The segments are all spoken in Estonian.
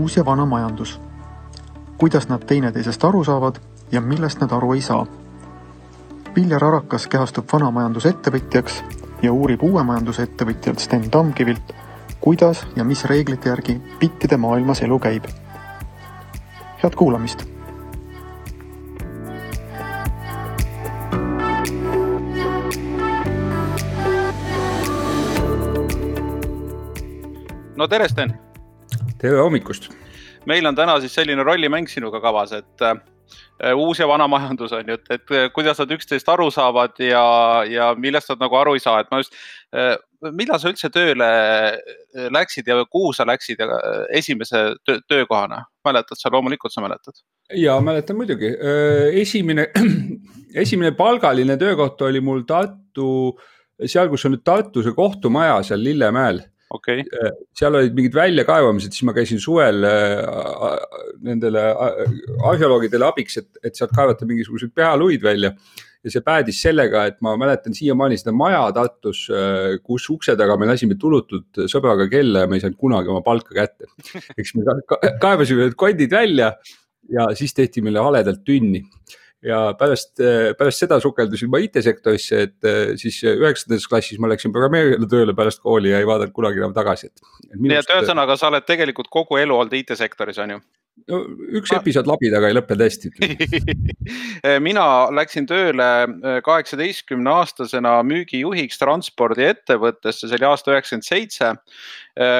uus ja vana majandus. Kuidas nad teineteisest aru saavad ja millest nad aru ei saa. Viljar Arakas kehastub vana majandusettevõtjaks ja uurib uue majandusettevõtjalt Sten Tamkivilt, kuidas ja mis reeglite järgi bittide maailmas elu käib. Head kuulamist! No tere, Sten! Tere hommikust! Meil on täna siis selline rollimäng sinuga kavas, et uus ja vana majandus on ju, et kuidas nad üksteist aru saavad ja millest nad nagu aru ei saa. Et ma just, millal sa üldse tööle läksid ja kuhu sa läksid esimese töökohana? Mäletad sa? Loomulikult sa mäletad. Ja mäletan muidugi. Esimene palgaline töökoht oli mul seal kus on nüüd Tartuse kohtumaja seal Lillemäel. Okay. Seal olid mingid väljakaevamised, siis ma käisin suvel nendele arheoloogidele abiks, et sealt kaevata mingisugused pealuid välja. Ja see päädis sellega, et ma mäletan siiamaani seda maja Tartus, kus ukse taga me lasime tulutud sõbraga kella ja me ei saanud kunagi oma palka kätte. Eks me kaevasime need kondid välja ja siis tehti meile haledalt tünni. Ja pärast seda sukeldusin ma IT-sektorisse, et siis 9. klassis ma läksin programmeerijale tööle pärast kooli ja ei vaadanud kunagi enam tagasi. Nii et ühesõnaga sa oled tegelikult kogu elu olnud IT-sektoris, on ju? No, üks episood labidaga ei lõppe tõesti. Mina läksin tööle 18-aastasena müügijuhiks transpordiettevõttesse, see oli aasta 97.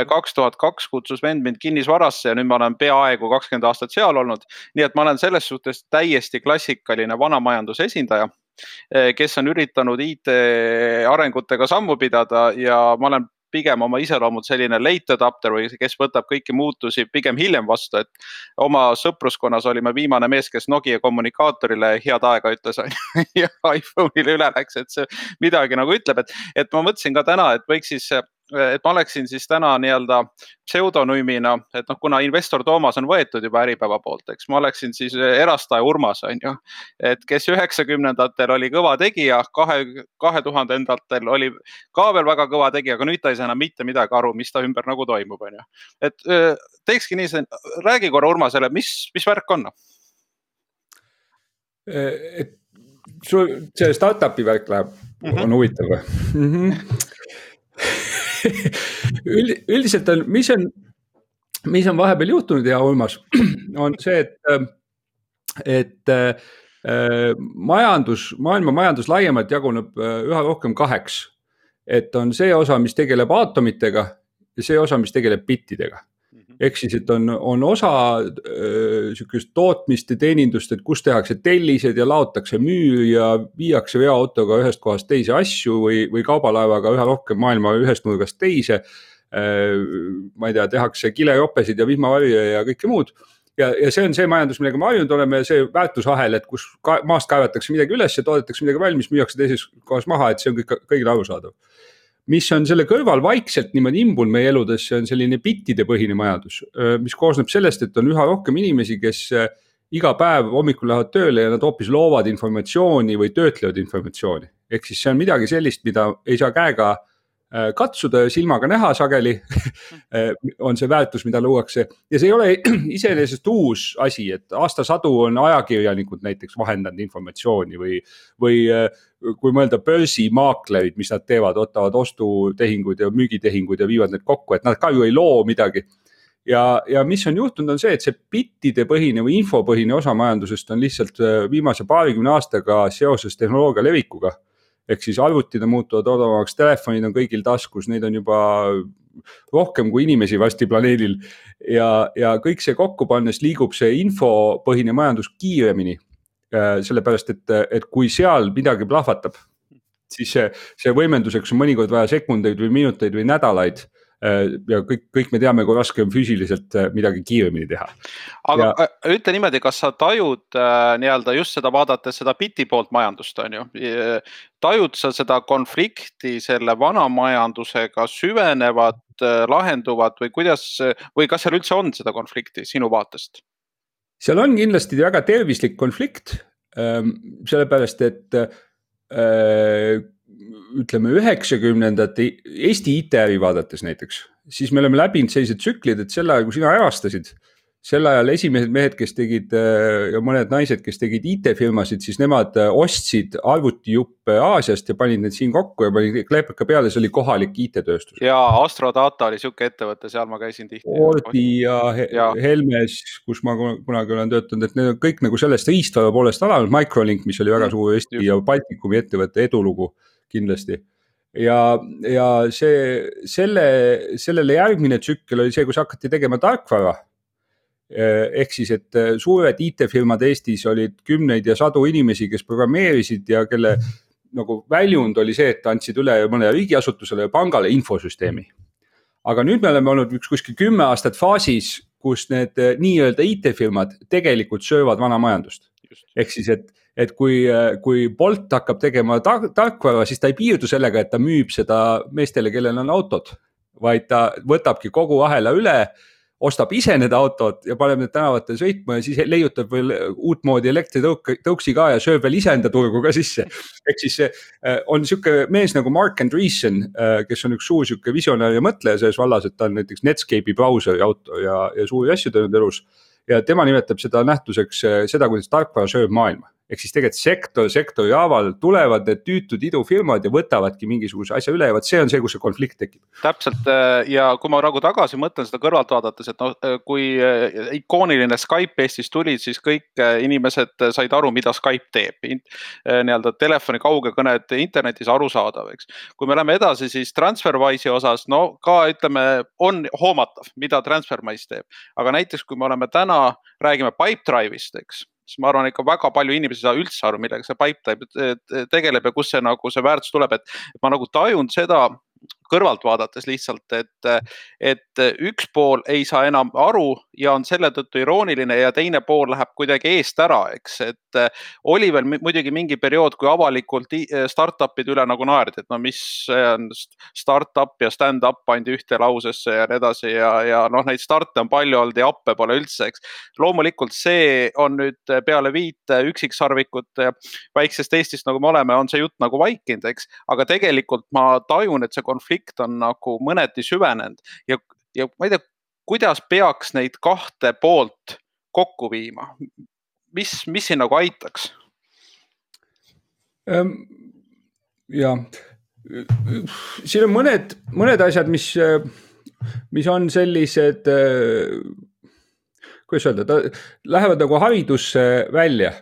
2002 kutsus vend mind kinnisvarasse ja nüüd ma olen peaaegu 20 aastat seal olnud. Nii et ma olen selles suhtes täiesti klassikaline vanamajanduse esindaja, kes on üritanud IT arengutega sammu pidada ja ma olen pigem oma iseloomud selline late adapter või kes võtab kõiki muutusi pigem hiljem vastu, et oma sõpruskonnas olime viimane mees, kes Nokia kommunikaatorile head aega ütles ja iPhone'ile üle läks, et see midagi nagu ütleb, et ma mõtlesin ka täna, et võiks siis, et ma oleksin siis täna nii-öelda pseudonüümina, et kuna investor Toomas on võetud juba Äripäeva poolt, eks ma oleksin siis erastaja Urmas, on ju, et kes 90-ndatel oli kõva tegija, 2000-ndatel oli ka veel väga kõva tegija, aga nüüd ta ei saa enam mitte midagi aru, mis ta ümber nagu toimub, on ju. Et teekski nii, räägi korra Urmasele, mis värk on? See startupi värk läheb, on huvitav või? Üldiselt on, mis on vahepeal juhtunud ja Urmas, on see, et maailma majandus laiemalt jaguneb üha rohkem kaheks. Et on see osa, mis tegeleb aatomitega ja see osa, mis tegeleb bittidega. Ehk siis, et on osa sükest tootmist ja teenindust, et kus tehakse tellised ja laotakse müür ja viiakse veoautoga ühest kohast teise asju või kaubalaevaga üha rohkem maailma ühest nurgast teise. Ma ei tea, tehakse kilejopesid ja vihmavarje ja kõike muud. Ja see on see majandus, millega me harjunud oleme, see väärtusahel, et kus maast kaevatakse midagi üles ja toodetakse midagi valmis, müüakse teises kohas maha, et see on kõigile arusaadav. Mis on selle kõrval vaikselt niimoodi imbul meie eludes, see on selline bittide põhine majandus, mis koosneb sellest, et on üha rohkem inimesi, kes iga päev hommikul lähevad tööle ja nad hoopis loovad informatsiooni või töötlevad informatsiooni. Ehk siis see on midagi sellist, mida ei saa käega katsuda ja silmaga näha sageli, on see väärtus, mida luuakse. Ja see ei ole iseenesest uus asi, et aastasadu on ajakirjanikud näiteks vahendanud informatsiooni või kui mõelda börsimaaklerid, mis nad teevad, ottavad ostutehinguid ja müügitehinguid ja viivad need kokku, et nad ka ju ei loo midagi. Ja mis on juhtunud on see, et see bittide põhine või infopõhine osa majandusest on lihtsalt viimase 20 aastaga seoses tehnoloogia levikuga. Ehk siis arvutid muutuvad odavamaks, telefonid on kõigil taskus, neid on juba rohkem kui inimesi vasti planeedil ja kõik see kokku pannes liigub see infopõhine majandus kiiremini, sellepärast, et kui seal midagi plahvatab, siis see võimenduseks on mõnikord vaja sekundeid või minuteid või nädalaid ja kõik me teame, kui raske on füüsiliselt midagi kiiremini teha. Aga ütle niimoodi, kas sa tajud nii-öelda just seda vaadates seda biti poolt majandust, on ju? Tajud sa seda konflikti selle vana majandusega süvenevad, lahenduvad või kas seal üldse on seda konflikti sinu vaatest? Seal on kindlasti väga tervislik konflikt, sellepärast, et ütleme 90-ndate Eesti IT-äri vaadates näiteks, siis me oleme läbinud sellised tsüklid, et selle ajal, kui sina erastasid, sel ajal esimesed mehed, kes tegid ja mõned naised, kes tegid IT-firmasid, siis nemad ostsid arvutijuppe Aasiast ja panid need siin kokku ja panid kleepaka peale, see oli kohalik IT-tööstus. Ja Astrodata oli siuke ettevõte, seal ma käisin tihti. Ordi ja Helmes, kus ma kunagi olen töötanud, et need on kõik nagu sellest riistvara poolest alanud, Microlink, mis oli väga suur Eesti ja Baltikumi ettevõtte edulugu kindlasti. Ja sellele järgmine tsükkel oli see, kus hakati tegema tarkvara. Ehk siis, et suured IT-firmad Eestis olid kümneid ja sadu inimesi, kes programmeerisid ja kelle nagu väljund oli see, et andsid üle mõne riigiasutusele ja pangale infosüsteemi. Aga nüüd me oleme olnud kuskil 10 aastat faasis, kus need nii-öelda IT-firmad tegelikult söövad vana majandust. Ehk siis, et kui Bolt hakkab tegema tarkvara, siis ta ei piirdu sellega, et ta müüb seda meestele, kellel on autod, vaid ta võtabki kogu ahela üle, ostab ise need autod ja paneb need tänavatel sõitma ja siis leiutab veel uut moodi elektritõuksi ka ja sööb veel ise enda turgu ka sisse. Ehk siis on siuke mees nagu Mark Andreessen, kes on üks suur siuke visionäär ja mõtleja selles vallas, et ta on näiteks Netscape'i brauseri autor ja suuri asju teinud elus. Ja tema nimetab seda nähtuseks seda, kuidas tarkvara sööb maailma. Ehk siis tegelikult sektori haaval tulevad need tüütud idufirmad ja võtavadki mingisuguse asja üle ja võt see on see, kus see konflikt tekib. Täpselt ja kui ma nagu tagasi mõtlen seda kõrvalt vaadates, et kui ikooniline Skype Eestis tuli, siis kõik inimesed said aru, mida Skype teeb. Nii-öelda telefoni kaugekõned internetis arusaadav, eks. Kui me läheme edasi, siis TransferWise'i osas, no ka ütleme, on hoomatav, mida TransferWise teeb. Aga näiteks, kui me oleme täna, räägime Pipedrive'ist, eks. Siis ma arvan, ikka väga palju inimesi saa üldse aru, millega see Pipedrive tegeleb ja kus see, nagu see väärtus tuleb, et ma nagu tajun seda kõrvalt vaadates lihtsalt, et üks pool ei saa enam aru ja on selle tõttu irooniline ja teine pool läheb kuidagi eest ära, eks, et oli veel muidugi mingi periood, kui avalikult startupid üle nagu naerdi, et no mis on startup ja stand-up pandi ühte lausesse ja nii edasi ja noh, neid starte on palju olnud ja appe pole üldse, eks. Loomulikult see on nüüd peale 5 üksiksarvikut väiksest Eestist, nagu me oleme, on see jutt nagu vaikinud, eks, aga tegelikult ma tajun, et see konflikt on nagu mõneti süvenenud ja ma ei tea, kuidas peaks neid kahte poolt kokku viima? Mis siin nagu aitaks? Ja siin on mõned asjad, mis on sellised, kuidas öelda, lähevad nagu haridusse välja.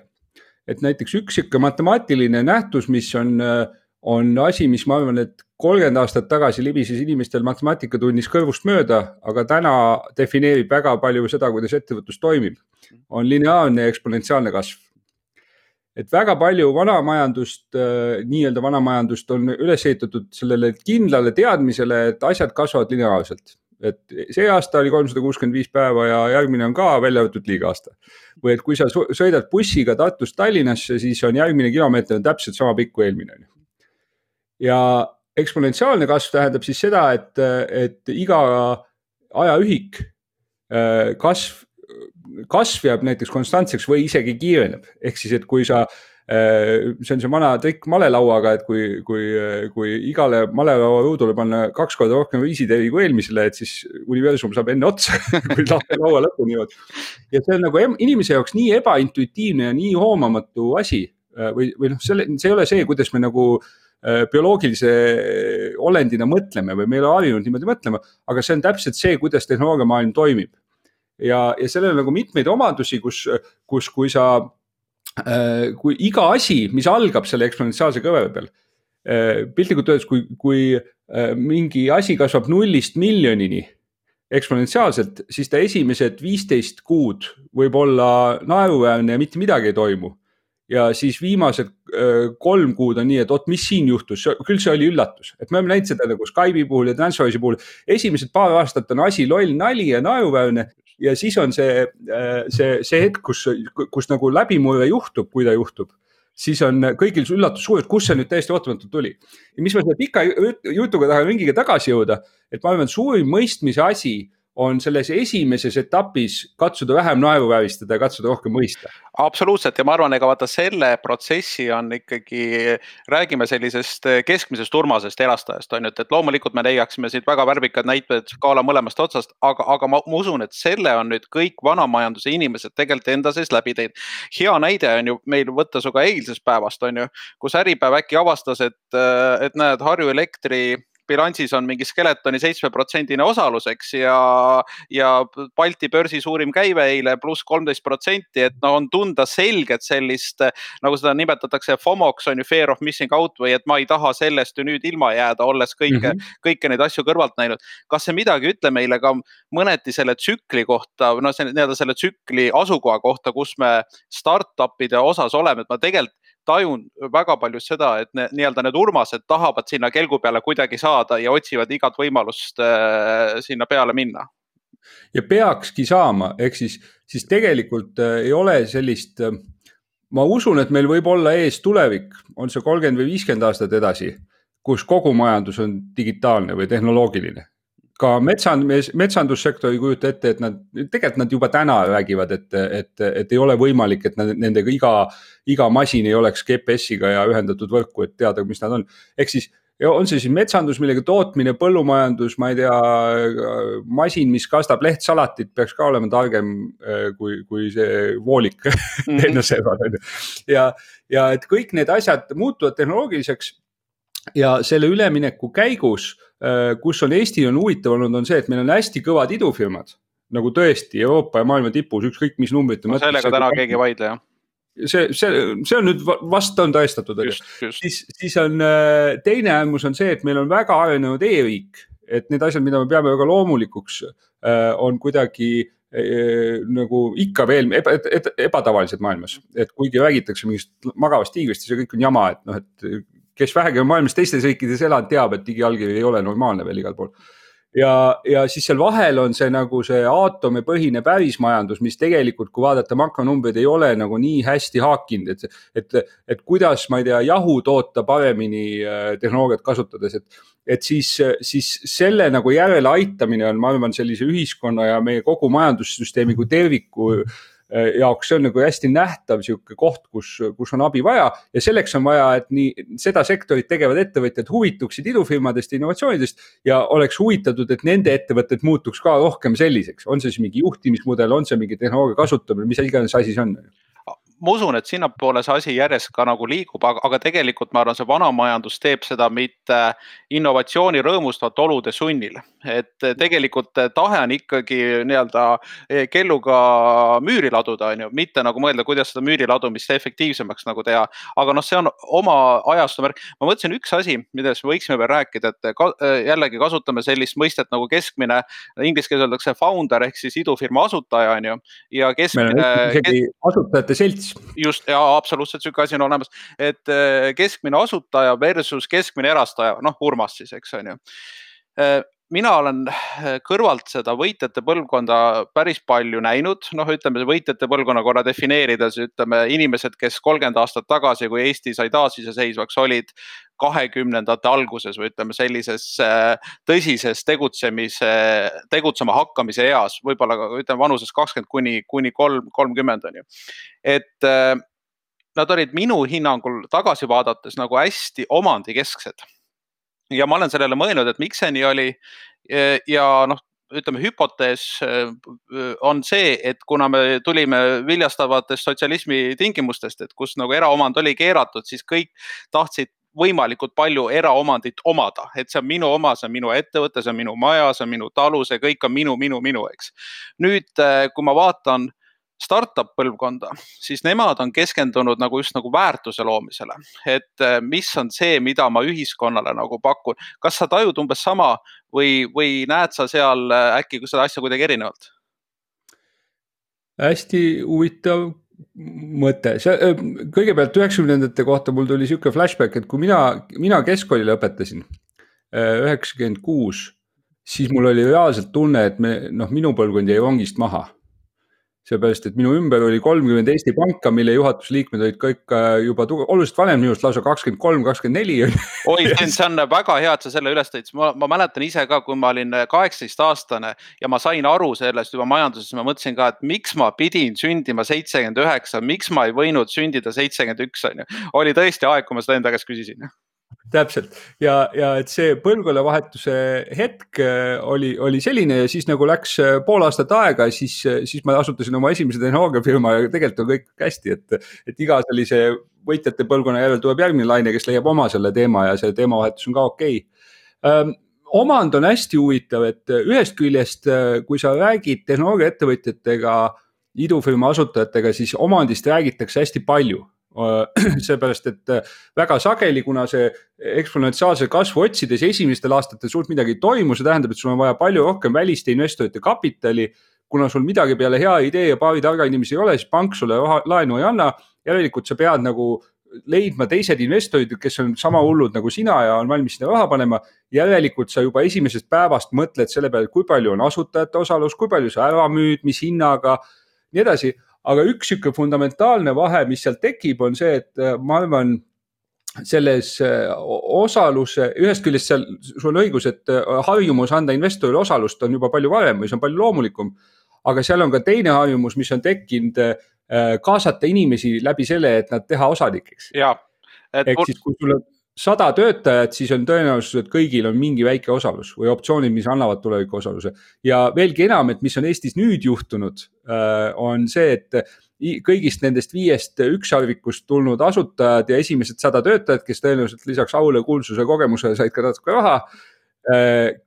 Et näiteks üks matemaatiline nähtus, mis on asi, mis ma arvan, et 30 aastat tagasi libises inimestel matemaatikatunnis kõrvust mööda, aga täna defineerib väga palju seda, kuidas ettevõtlus toimib, on lineaarne ja eksponentsiaalne kasv. Et väga palju nii-öelda vanamajandust on üles ehitatud sellele kindlale teadmisele, et asjad kasvavad lineaarselt. Et see aasta oli 365 päeva ja järgmine on ka välja võetud liiga aasta. Või et kui sa sõidad bussiga Tartust Tallinnasse, siis on järgmine kilomeeter täpselt sama pikk kui eelmine. Ja eksponentsiaalne kasv tähendab siis seda, et iga ajaühik kasv jääb näiteks konstantseks või isegi kiireneb. Ehk siis, et kui see on see vana trikk malelauaga, et kui igale malelaua ruudule panna 2 korda rohkem viisiteri kui eelmisele, et siis universum saab enne otsa, kui laua lõpuni jõuad. Ja see on nagu inimese jaoks nii ebaintuitiivne ja nii hoomamatu asi. Või noh, see ei ole see, kuidas me nagu bioloogilise olendina mõtleme või meil on harjunud niimoodi mõtlema, aga see on täpselt see, kuidas tehnoloogiamaailm toimib. Ja sellel on nagu mitmeid omadusi, kus kui iga asi, mis algab selle eksponentsiaalse kõvera peal, piltlikult öeldes, kui mingi asi kasvab 0-st miljonini eksponentsiaalselt, siis ta esimesed 15 kuud võib olla naeruväärne ja mitte midagi ei toimu. Ja siis viimased 3 kuud on nii, et mis siin juhtus, küll see oli üllatus. Et me oleme näinud seda nagu Skype'i puhul ja TransferWise'i puhul. Esimesed paar aastat on asi loll nali ja naeruväärne ja siis on see hetk, kus nagu läbimurre juhtub, kui ta juhtub. Siis on kõigil üllatus suur, et kus see nüüd täiesti ootamatult tuli. Ja mis ma selle pika jutuga tahan ringiga tagasi jõuda, et ma arvan, suurim mõistmise asi on selles esimeses etapis katsuda vähem naeruvääristada ja katsuda rohkem mõista. Absoluutselt, ja ma arvan, ega vaata selle protsessi on ikkagi, räägime sellisest keskmisest Urmasest erastajast, on ju, et loomulikult me leiaksime siit väga värvikad näited skaala mõlemast otsast, aga ma usun, et selle on nüüd kõik vanamajanduse inimesed tegelikult enda sees läbi teinud. Hea näide on ju meil võtta suga eilsest päevast, on ju, kus Äripäev äkki avastas, et näed, Harju Elektri bilansis on mingi Skeletoni 7% osaluseks ja Balti börsi suurim käive eile pluss 13%, et no on tunda selgelt sellist, nagu seda nimetatakse FOMOks, on ju, fear of missing out, või et ma ei taha sellest ju nüüd ilma jääda, olles kõike neid asju kõrvalt näinud. Kas see midagi ütle meile ka mõneti selle tsükli kohta, no selle tsükli asukoha kohta, kus me startupide osas oleme, et ma tegelikult tajun väga palju seda, et nii-öelda need Urmased tahavad sinna kelgu peale kuidagi saada ja otsivad igat võimalust sinna peale minna. Ja peakski saama, ehk siis tegelikult ei ole sellist, ma usun, et meil võib olla ees tulevik, on see 30 või 50 aastat edasi, kus kogu majandus on digitaalne või tehnoloogiline. Ka metsandussektori kujuta ette, et tegelikult nad juba täna räägivad, et ei ole võimalik, et nendega iga masin ei oleks GPS-iga ja ühendatud võrku, et teada, mis nad on. Ehk siis on see siis metsandus, millega tootmine, põllumajandus, ma ei tea, masin, mis kastab lehtsalatit, peaks ka olema targem kui see voolik. Ja et kõik need asjad muutuvad tehnoloogiliseks. Ja selle ülemineku käigus, kus on Eesti on huvitav olnud, on see, et meil on hästi kõvad idufirmad, nagu tõesti Euroopa ja maailma tipus, ükskõik mis numbrit. No sellega täna keegi vaidle, jah. See on nüüd vast on tõestatud. Siis on teine äärmus on see, et meil on väga arenenud e-riik, et need asjad, mida me peame väga loomulikuks, on kuidagi nagu ikka veel ebatavalised maailmas, et kuigi räägitakse mingist magavast tiigrist, see kõik on jama, et noh, et kes vähegi on maailmas teistes riikides elanud, teab, et digiallkiri ei ole normaalne veel igal pool. Ja siis seal vahel on see nagu see aatomipõhine pärismajandus, mis tegelikult, kui vaadata makronumbreid, ei ole nagu nii hästi haakinud, et kuidas, ma ei tea, jahu toota paremini tehnoloogiat kasutades, et siis selle nagu järele aitamine on, ma arvan, sellise ühiskonna ja meie kogu majandussüsteemi kui terviku jaoks, see on nagu hästi nähtav siuke koht, kus on abi vaja ja selleks on vaja, et nii seda sektorit tegevad ettevõtjad huvituksid idufirmadest ja innovatsioonidest ja oleks huvitatud, et nende ettevõtted muutuks ka rohkem selliseks. On see siis mingi juhtimismudel, on see mingi tehnoloogia kasutamine, mis iganes asi see on? Ma usun, et sinnapoole see asi järjest ka nagu liigub, aga tegelikult ma arvan, see vanamajandus teeb seda mitte innovatsiooni rõõmustavat olude sunnil. Et tegelikult tahe on ikkagi nii-öelda kelluga müüri laduda, on ju, mitte nagu mõelda, kuidas seda müüri ladumist efektiivsemaks nagu teha. Aga noh, see on oma ajastu märk. Ma mõtlesin üks asi, millest võiksime veel rääkida, et jällegi kasutame sellist mõistet nagu keskmine, inglise keeles öeldakse founder ehk siis idufirma asutaja, on ju. Ja keskmine asutajate selts. Just, ja absoluutselt siuke asi on olemas, et keskmine asutaja versus keskmine erastaja, noh Urmas siis, eks on ju. Mina olen kõrvalt seda võitjate põlvkonda päris palju näinud, noh ütleme võitjate põlvkonna korra defineerides, ütleme inimesed, kes 30 aastat tagasi, kui Eesti sai taasiseseisvaks, olid 20ndate alguses või ütleme sellises tõsises tegutsema hakkamise eas, võib-olla ütleme vanuses 20 kuni 30 on ju. Et nad olid minu hinnangul tagasi vaadates nagu hästi omandikesksed. Ja ma olen sellele mõelnud, et miks see nii oli ja noh, ütleme hüpotees on see, et kuna me tulime viljastavatest sotsialismi tingimustest, et kus nagu eraomand oli keeratud, siis kõik tahtsid võimalikult palju eraomandit omada, et see on minu oma, see on minu ettevõte, see on minu maja, see on minu talu, see kõik on minu, eks. Nüüd, kui ma vaatan startup põlvkonda, siis nemad on keskendunud nagu just nagu väärtuse loomisele, et mis on see, mida ma ühiskonnale nagu pakun. Kas sa tajud umbes sama või näed sa seal äkki seda asja kuidagi erinevalt? Hästi huvitav mõte. Kõigepealt 90ndate kohta mul tuli siuke flashback, et kui mina keskkoolile õpetasin 96, siis mul oli reaalselt tunne, et minu põlvkond jäi rongist maha. seepärast, et minu ümber oli 30 Eesti panka, mille juhatusliikmed olid kõik juba oluliselt vanem minust, lausa 23, 24. Oi, see on väga hea, et sa selle üles tõid. Ma mäletan ise ka, kui ma olin 18-aastane ja ma sain aru sellest juba majanduses, ma mõtlesin ka, et miks ma pidin sündima 79, miks ma ei võinud sündida 71, on ju. Oli tõesti aeg, kui ma seda enda käest küsisin. Täpselt ja et see põlvkonnavahetuse hetk oli selline ja siis nagu läks pool aastat aega, siis ma asutasin oma esimese tehnoloogiafirma ja tegelikult on kõik hästi, et iga sellise võitjate põlvkonna järel tuleb järgmine laine, kes leiab oma selle teema ja see teemavahetus on ka okei. Omand on hästi huvitav, et ühest küljest, kui sa räägid tehnoloogiaettevõtjatega, idufirma asutajatega, siis omandist räägitakse hästi palju. Seepärast, et väga sageli, kuna see eksponentsiaalse kasvu otsides esimestel aastatel suurt midagi ei toimu, see tähendab, et sul on vaja palju rohkem väliste investorite kapitali, kuna sul midagi peale hea idee ja paari targa inimesi ei ole, siis pank sulle laenu ei anna, järelikult sa pead nagu leidma teised investorid, kes on sama hullud nagu sina ja on valmis sinna raha panema, järelikult sa juba esimesest päevast mõtled selle peale, kui palju on asutajate osalus, kui palju sa ära müüd, mis hinnaga, nii edasi. Aga üks siuke fundamentaalne vahe, mis seal tekib, on see, et ma arvan, selles osaluse, ühest küljest seal sul on õigus, et harjumus anda investorile osalust on juba palju varem või see on palju loomulikum, aga seal on ka teine harjumus, mis on tekkinud kaasata inimesi läbi selle, et nad teha osanikeks. Ehk siis, kui sul on 100 töötajat, siis on tõenäosus, et kõigil on mingi väike osalus või optsioonid, mis annavad tuleviku osaluse. Ja veelgi enam, et mis on Eestis nüüd juhtunud, on see, et kõigist nendest 5 ükssarvikust tulnud asutajad ja esimesed 100 töötajad, kes tõenäoliselt lisaks aule, kuulsuse, kogemusele said ka natuke raha,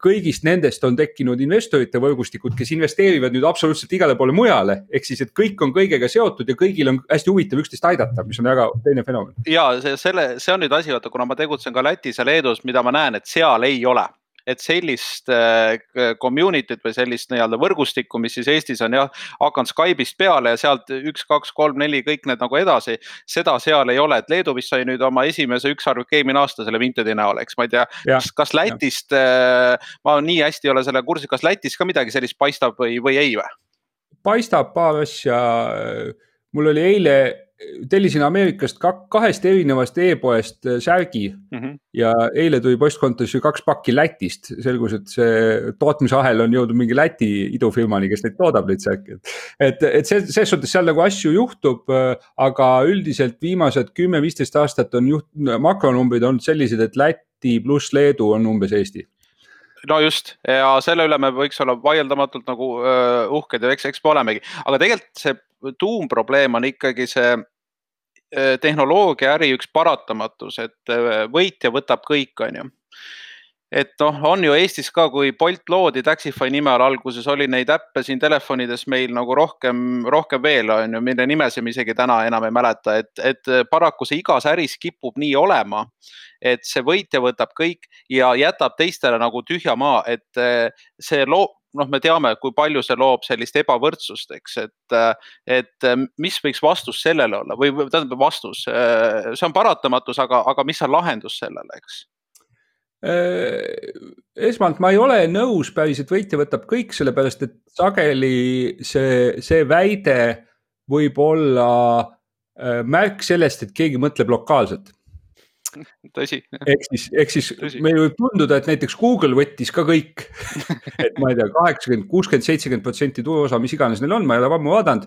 kõigist nendest on tekkinud investorite võrgustikud, kes investeerivad nüüd absoluutselt igale poole mujale. Ehk siis, et kõik on kõigega seotud ja kõigil on hästi huvitav üksteist aidata, mis on väga teine fenomen. Ja see on nüüd asi, kuna ma tegutsen ka Lätis ja Leedus, mida ma näen, et seal ei ole. Et sellist community't või sellist nii-öelda võrgustikku, mis siis Eestis on hakanud Skype'ist peale ja sealt 1, 2, 3, 4 kõik need nagu edasi, seda seal ei ole, et Leedu vist sai nüüd oma esimese ükssarvik eelmine aasta selle Vintedi näol, eks ma ei tea, kas Lätist, ma nii hästi ei ole selle kursi, kas Lätis ka midagi sellist paistab või ei või? Paistab paar asja, mul oli eile tellisin Ameerikast 2 erinevast e-poest särgi ja eile tuli postkontoris 2 pakki Lätist. Selgus, et see tootmisahel on jõudnud mingi Läti idufirmani, kes neid toodab neid särki. Et see suhtes seal nagu asju juhtub, aga üldiselt viimased 10-15 aastat on makronumbrid olnud sellised, et Läti pluss Leedu on umbes Eesti. No just, ja selle üle me võiks olla vaieldamatult nagu uhked ja eks me olemegi. Aga tegelikult see tuumprobleem on ikkagi see tehnoloogia äri üks paratamatus, et võitja võtab kõik, on ju. Et on ju Eestis ka, kui Bolt loodi Taxify nime all alguses, oli neid äppe siin telefonides meil nagu rohkem veel, on ju, mille nimesi me isegi täna enam ei mäleta, et paraku see igas äris kipub nii olema, et see võitja võtab kõik ja jätab teistele nagu tühja maa, et see me teame, kui palju see loob sellist ebavõrdsust, eks, et mis võiks vastus sellele olla või tähendab vastus, see on paratamatus, aga mis on lahendus sellele, eks? Esmalt ma ei ole nõus päris, et võitja võtab kõik, sellepärast, et sageli see väide võib olla märk sellest, et keegi mõtleb lokaalselt. Tõsi. Ehk siis meil võib tunduda, et näiteks Google võttis ka kõik, et ma ei tea, 80, 60, 70% turuosa, mis iganes neil on, ma ei ole ammu vaadanud,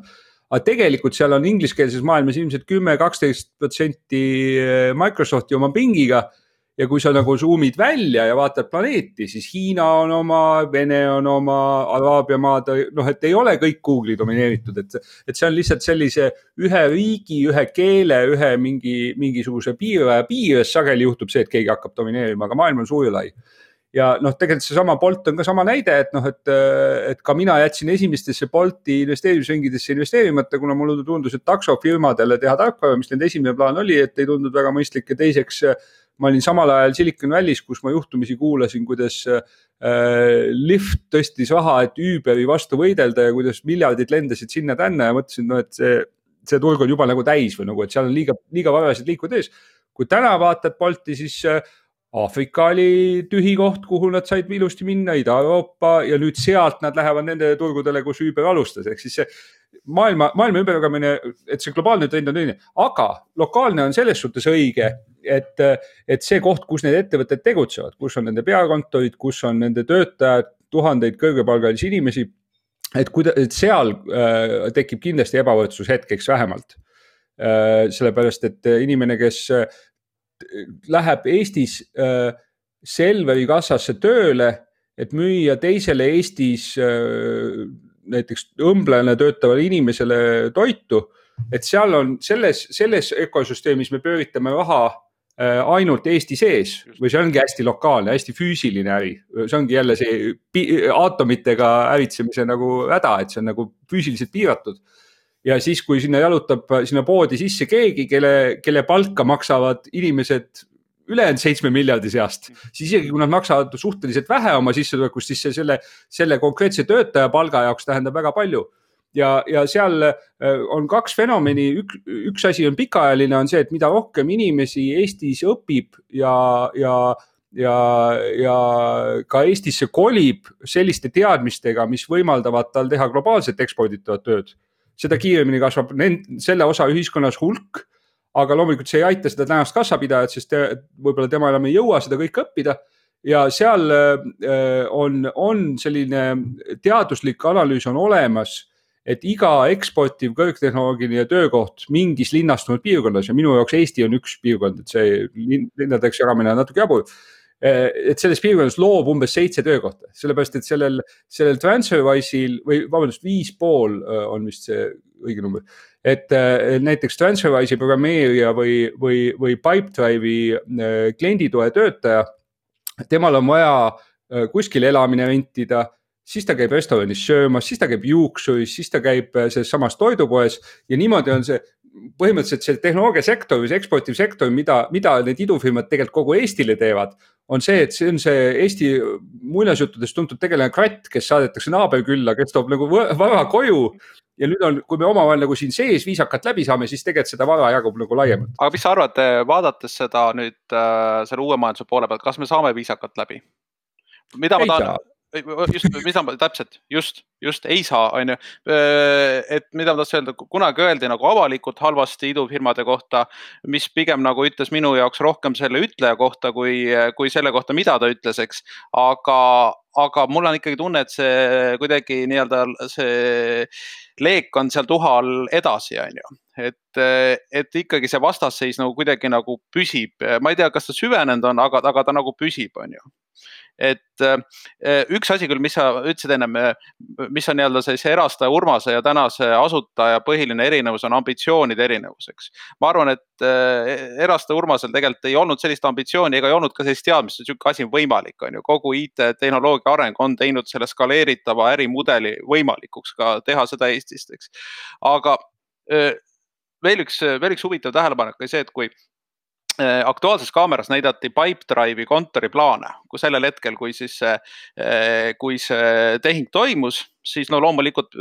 aga tegelikult seal on ingliskeelses maailmas ilmselt 10-12% Microsofti oma Bingiga ja kui sa nagu zoomid välja ja vaatad planeeti, siis Hiina on oma, Vene on oma, Araabia maad, et ei ole kõik Google'i domineeritud, et see on lihtsalt sellise ühe riigi, ühe keele, ühe mingisuguse piires sageli juhtub see, et keegi hakkab domineerima, aga maailm on suur ja lai. Ja tegelikult see sama Bolt on ka sama näide, et ka mina jätsin esimestesse Bolti investeerimisringidesse investeerimata, kuna mulle tundus, et taksofirmadele teha tarkvara, mis nende esimene plaan oli, et ei tundunud väga mõistlik ja teiseks ma olin samal ajal Silicon Valley's, kus ma juhtumisi kuulasin, kuidas Lyft tõstis raha, et Uberi vastu võidelda ja kuidas miljardid lendasid sinna tänna ja mõtlesin, et see turg on juba nagu täis või nagu, et seal on liiga varased liikud ees. Kui täna vaatad Bolti, siis Aafrika oli tühi koht, kuhu nad said ilusti minna, Ida-Euroopa ja nüüd sealt nad lähevad nende turgudele, kus Uber alustas. Ehk siis maailma ümberjagamine, et see globaalne trend on õige, aga lokaalne on selles suhtes õige, et see koht, kus need ettevõtted tegutsevad, kus on nende peakontorid, kus on nende töötajad, tuhandeid kõrgepalgalisi inimesi, et seal tekib kindlasti ebavõrdsus hetkeks vähemalt. Sellepärast, et inimene, kes läheb Eestis Selveri kassasse tööle, et müüa teisele Eestis näiteks õmblejana töötavale inimesele toitu, et seal on selles ökosüsteemis me pööritame raha ainult Eesti sees või see ongi hästi lokaalne, hästi füüsiline äri. See ongi jälle see aatomitega äritsemise nagu häda, et see on nagu füüsiliselt piiratud. Ja siis, kui sinna jalutab sinna poodi sisse keegi, kelle palka maksavad inimesed ülejäänud 7 miljardi seast, siis isegi kui nad maksavad suhteliselt vähe oma sissetulekust, siis selle konkreetse töötaja palga jaoks tähendab väga palju. Ja seal on kaks fenomeni, üks asi on pikaajaline, on see, et mida rohkem inimesi Eestis õpib ja ka Eestisse kolib selliste teadmistega, mis võimaldavad tal teha globaalselt eksporditavat tööd, seda kiiremini kasvab selle osa ühiskonnas hulk, aga loomulikult see ei aita seda tänast kassapidajat, sest võib-olla tema enam ei jõua seda kõik õppida. Ja seal on selline teaduslik analüüs on olemas, et iga eksportiv kõrgtehnoloogiline töökoht mingis linnastunud piirkonnas ja minu jaoks Eesti on üks piirkond, et see linnadeks jagamine on natuke jabur, et selles piirkonnas loob umbes 7 töökohta, sellepärast, et sellel TransferWise'il või vabandust 5,5 on vist see õige number, et näiteks TransferWise'i programmeerija või Pipedrive'i klienditoe töötaja, temal on vaja kuskil elamine rentida, siis ta käib restoranis söömas, siis ta käib juuksuris, siis ta käib selles samas toidupoes ja niimoodi on see põhimõtteliselt see tehnoloogiasektor või see eksportivsektor, mida need idufirmad tegelikult kogu Eestile teevad, on see, et see on see Eesti muinasjuttudest tuntud tegelane kratt, kes saadetakse naaberkülla, kes toob nagu vara koju ja nüüd on, kui me omavahel nagu siin sees viisakalt läbi saame, siis tegelikult seda vara jagub nagu laiemalt. Aga mis sa arvad, vaadates seda nüüd selle uue majanduse poole pealt, kas me saame viisakalt läbi? Mida ma tahan... Just ei saa, on ju. Et mida ma tahtsin öelda, kunagi öeldi nagu avalikult halvasti idufirmade kohta, mis pigem nagu ütles minu jaoks rohkem selle ütleja kohta, kui selle kohta, mida ta ütles, eks. Aga mul on ikkagi tunne, et see kuidagi nii-öelda see leek on seal tuhal edasi, on ju. Et ikkagi see vastasseis nagu kuidagi nagu püsib. Ma ei tea, kas ta süvenenud on, aga ta nagu püsib, on ju. Et üks asi küll, mis sa ütlesid ennem, mis on nii-öelda see erastaja Urmase ja tänase asutaja põhiline erinevus on ambitsioonide erinevuseks. Ma arvan, et erastaja Urmasel tegelikult ei olnud sellist ambitsiooni ega ei olnud ka sellist teadmist, et selline asi on võimalik, on ju. Kogu IT-tehnoloogia areng on teinud selle skaleeritava ärimudeli võimalikuks ka teha seda Eestist, eks. Aga veel üks huvitav tähelepanek oli see, et kui Aktuaalses kaameras näidati Pipedrive'i kontoriplaane, kui sellel hetkel, kui see tehing toimus, siis no loomulikult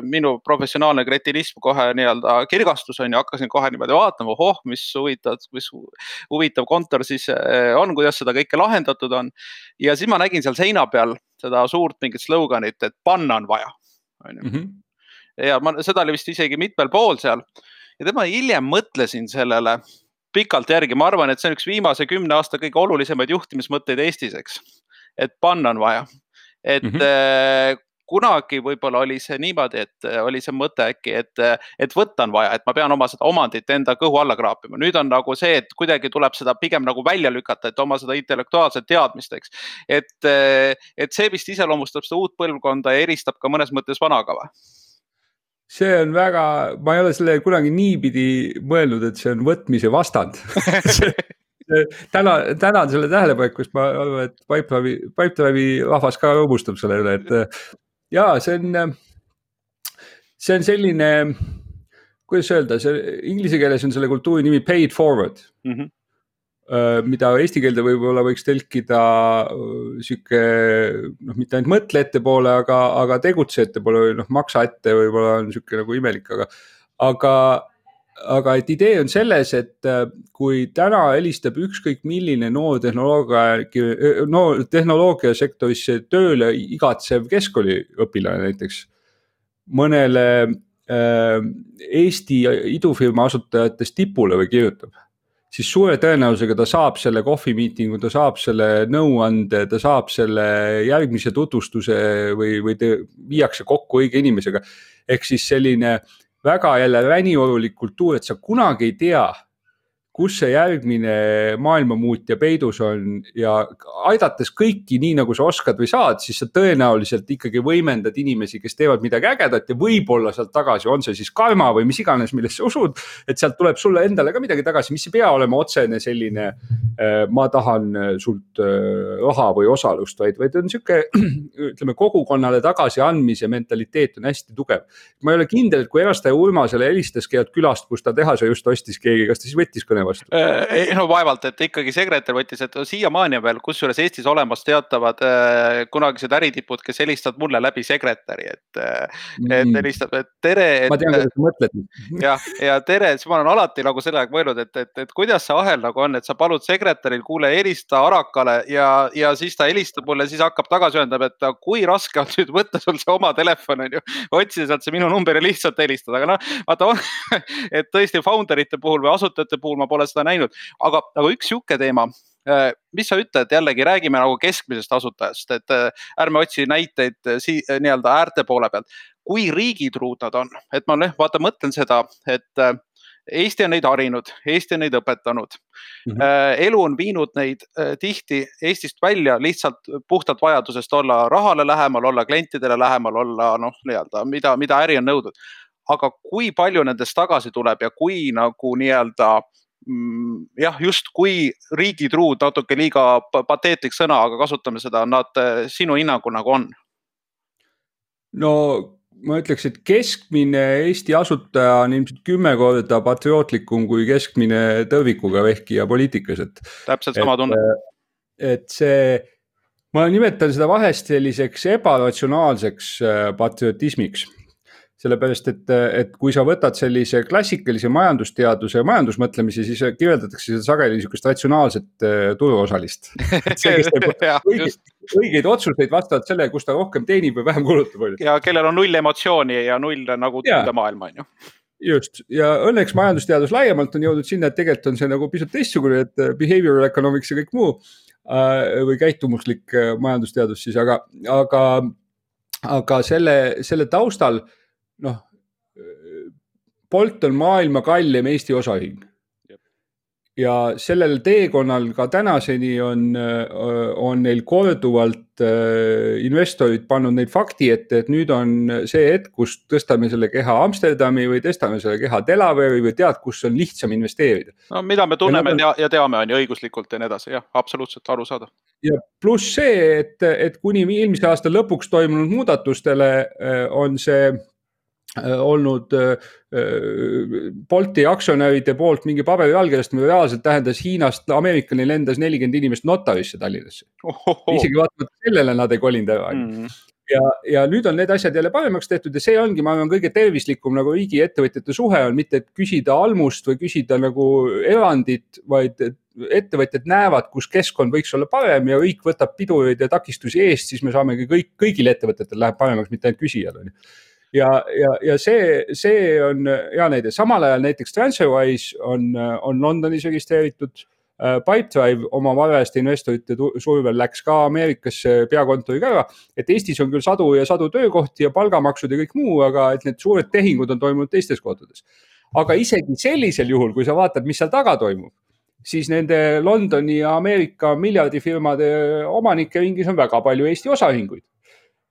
minu professionaalne kretinism kohe nii-öelda kirgastus on ja hakkasin kohe niimoodi vaatama, mis huvitav kontor siis on, kuidas seda kõike lahendatud on. Ja siis ma nägin seal seina peal seda suurt mingit sloganit, et panna on vaja. Ja seda oli vist isegi mitmel pool seal. Ja tema hiljem mõtlesin sellele pikalt järgi. Ma arvan, et see on üks viimase 10 aasta kõige olulisemaid juhtimismõtteid Eestis, eks. Et panna on vaja. Et kunagi võib-olla oli see niimoodi, et oli see mõte äkki, et võtta on vaja, et ma pean oma seda omandit enda kõhu alla kraapima. Nüüd on nagu see, et kuidagi tuleb seda pigem nagu välja lükata, et oma seda intellektuaalset teadmist, eks. Et see vist iseloomustab seda uut põlvkonda ja eristab ka mõnes mõttes vanakava. See on väga, ma ei ole selle kunagi niipidi mõelnud, et see on võtmise vastand. Tänan selle tähelepanekust, ma arvan, et Pipedrive'i rahvas ka rõõmustab selle üle, et jaa, see on selline, kuidas öelda, inglise keeles on selle kultuuri nimi pay it forward. Mida eesti keelde võib-olla võiks tõlkida siuke, mitte ainult mõtle ette poole, aga tegutse ette poole või maksa ette võib-olla on siuke nagu imelik, aga et idee on selles, et kui täna helistab ükskõik milline noor tehnoloogiasektorisse tööle igatsev keskkooliõpilane näiteks mõnele Eesti idufirma asutajatest tipule või kirjutab, siis suure tõenäosusega ta saab selle kohvimiitingu, ta saab selle nõuande, ta saab selle järgmise tutvustuse või viiakse kokku õige inimesega. Ehk siis selline väga jälle räniolulik kultuur, et sa kunagi ei tea, kus see järgmine maailmamuutja peidus on ja aidates kõiki nii nagu sa oskad või saad, siis sa tõenäoliselt ikkagi võimendad inimesi, kes teevad midagi ägedat ja võib-olla sealt tagasi on see siis karma või mis iganes, millest sa usud, et sealt tuleb sulle endale ka midagi tagasi, mis ei pea olema otsene selline ma tahan sult raha või osalust, vaid on siuke, ütleme, kogukonnale tagasi andmise mentaliteet on hästi tugev. Ma ei ole kindel, et kui erastaja Urmasele helistas keelt külast, kus ta tehase just ostis keegi, kas ta siis võttis kõne vastu? No vaevalt, et ikkagi sekretär võttis, et siiamaani on veel kusjuures Eestis olemas teatavad kunagised äritipud, kes helistavad mulle läbi sekretäri, et helistab, et tere. Ma tean, kuidas sa mõtled. Ja tere, siis ma olen alati nagu selle aeg mõelnud, et kuidas see ahel nagu on, et sa palud sekretäril, kuule, helista Arakale ja siis ta helistab mulle, siis hakkab tagasi ühendab, et kui raske on nüüd võtta sul see oma telefon, on ju, otsida sealt see minu number ja lihtsalt helistada, aga noh, vaata, et tõesti founderite puhul või asutajate puhul ma pole seda näinud, aga üks siuke teema, mis sa ütled, jällegi räägime nagu keskmisest asutajast, et ärme otsi näiteid nii-öelda äärte poole pealt, kui riigitruud nad on, et ma vaata mõtlen seda, et Eesti on neid harinud, Eesti on neid õpetanud, elu on viinud neid tihti Eestist välja lihtsalt puhtalt vajadusest olla rahale lähemal, olla klientidele lähemal, olla nii-öelda, mida äri on nõudnud. Aga kui palju nendest tagasi tuleb ja kui nagu nii-öelda just kui riigitruud, natuke liiga pateetlik sõna, aga kasutame seda, nad sinu hinnangu nagu on? No ma ütleks, et keskmine Eesti asutaja on ilmselt 10 korda patriootlikum kui keskmine tõrvikuga vehkija poliitikas. Täpselt sama tunne. Et see, ma nimetan seda vahest selliseks ebaratsionaalseks patriotismiks. Sellepärast, et kui sa võtad sellise klassikalise majandusteaduse ja majandusmõtlemise, siis kirjeldatakse seda sageli niisugust ratsionaalset turuosalist. See, kes teeb õigeid otsuseid vastavalt selle, kus ta rohkem teenib või vähem kulutab. Ja kellel on null emotsiooni ja null nagu tunde maailma, on ju. Just, ja õnneks majandusteadus laiemalt on jõudnud sinna, et tegelikult on see nagu pisut teistsugune, et behavioral economics ja kõik muu või käitumuslik majandusteadus siis, aga selle taustal Bolt on maailma kallim Eesti osaühing. Ja sellel teekonnal ka tänaseni on neil korduvalt investorid pannud neid fakti ette, et nüüd on see hetk, kus tõstame selle keha Amsterdami või tõstame selle keha Delaware'i või tead, kus on lihtsam investeerida. No mida me tunneme ja teame on ju õiguslikult ja nii edasi, jah, absoluutselt aru saada. Ja pluss see, et kuni eelmise aasta lõpuks toimunud muudatustele on see olnud Bolti aktsionäride poolt mingi paberi allkirjastamine reaalselt tähendas Hiinast Ameerikani lendas 40 inimest notarisse Tallinnasse. Isegi vaatamata sellele nad ei kolinud ära. Ja nüüd on need asjad jälle paremaks tehtud ja see ongi, ma arvan, kõige tervislikum nagu riigi ettevõtjate suhe on, mitte et küsida almust või küsida nagu erandit, vaid ettevõtjad näevad, kus keskkond võiks olla parem ja riik võtab pidureid ja takistusi eest, siis me saamegi kõigil ettevõtetel läheb paremaks, mitte ainult küsijal. Ja see on hea näide. Samal ajal näiteks TransferWise on Londonis registreeritud, Pipedrive oma varajast investorite survel läks ka Ameerikasse peakontoriga ära, et Eestis on küll sadu ja sadu töökohti ja palgamaksud ja kõik muu, aga et need suured tehingud on toimunud teistes kohtades. Aga isegi sellisel juhul, kui sa vaatad, mis seal taga toimub, siis nende Londoni ja Ameerika miljardifirmade omanike ringis on väga palju Eesti osaühinguid.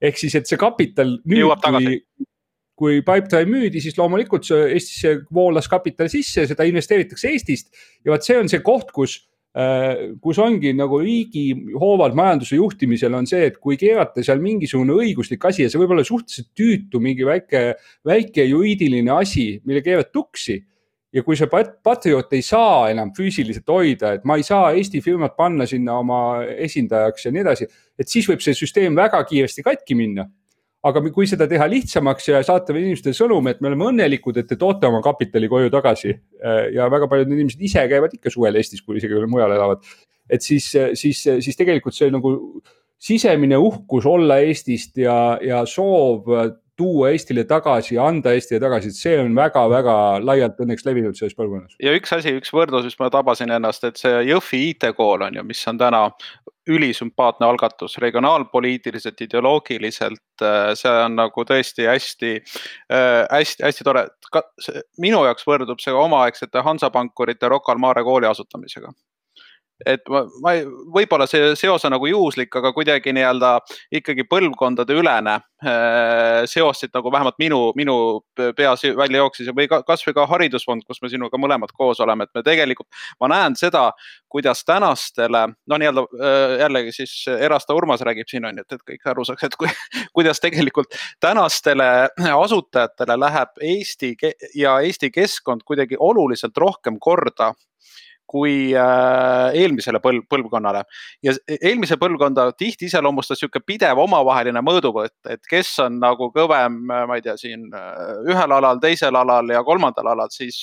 Ehk siis, et see kapital nüüd, kui Pipedrive müüdi, siis loomulikult Eestisse voolas kapital sisse, seda investeeritakse Eestist ja see on see koht, kus ongi nagu riigi hoovad majanduse juhtimisel on see, et kui keerata seal mingisugune õiguslik asi ja see võib olla suhteliselt tüütu, mingi väike juriidiline asi, mille keerad tuksi ja kui see patriot ei saa enam füüsiliselt hoida, et ma ei saa Eesti firmat panna sinna oma esindajaks ja nii edasi, et siis võib see süsteem väga kiiresti katki minna. Aga kui seda teha lihtsamaks ja saata inimestele sõnum, et me oleme õnnelikud, et te toote oma kapitali koju tagasi ja väga paljud inimesed ise käivad ikka suvel Eestis, kui isegi mujal elavad, et siis tegelikult see nagu sisemine uhkus olla Eestist ja soov tuua Eestile tagasi ja anda Eestile tagasi, et see on väga-väga laialt õnneks levinud selles põlvkonnas. Ja üks võrdlus, mis ma tabasin ennast, et see Jõhvi IT-kool on ju, mis on täna ülisümpaatne algatus, regionaalpoliitiliselt, ideoloogiliselt, see on nagu tõesti hästi tore. Minu jaoks võrdub see omaaegsete Hansapankurite Rocca al Mare kooli asutamisega. Et võib-olla see seos on nagu juhuslik, aga kuidagi nii-öelda ikkagi põlvkondade ülene seosid nagu vähemalt minu peas välja jooksis või kasvõi ka haridusfond, kus me sinuga mõlemad koos oleme, et me tegelikult, ma näen seda, kuidas tänastele, nii-öelda jällegi siis Erasta Urmas räägib siin on, et kõik aru saaks, et kuidas tegelikult tänastele asutajatele läheb Eesti ja Eesti keskkond kuidagi oluliselt rohkem korda kui eelmisele põlvkonnale. Ja eelmise põlvkonda tihti iseloomustas siuke pidev omavaheline mõõduvõtt, et kes on nagu kõvem, ma ei tea, siin ühel alal, teisel alal ja kolmandal alal, siis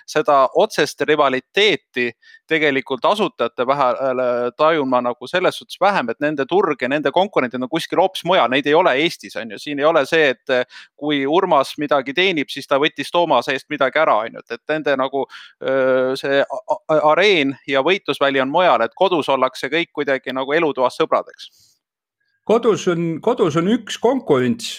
seda otsest rivaliteeti tegelikult asutajate vahel tajun ma nagu selles suhtes vähem, et nende turg ja nende konkurentid on kuskil hoopis mujal, neid ei ole Eestis, on ju. Siin ei ole see, et kui Urmas midagi teenib, siis ta võttis Toomase eest midagi ära, on ju. Et nende nagu see areen ja võitlusväli on mujal, et kodus ollakse kõik kuidagi nagu elutoas sõbradeks. Kodus on üks konkurents,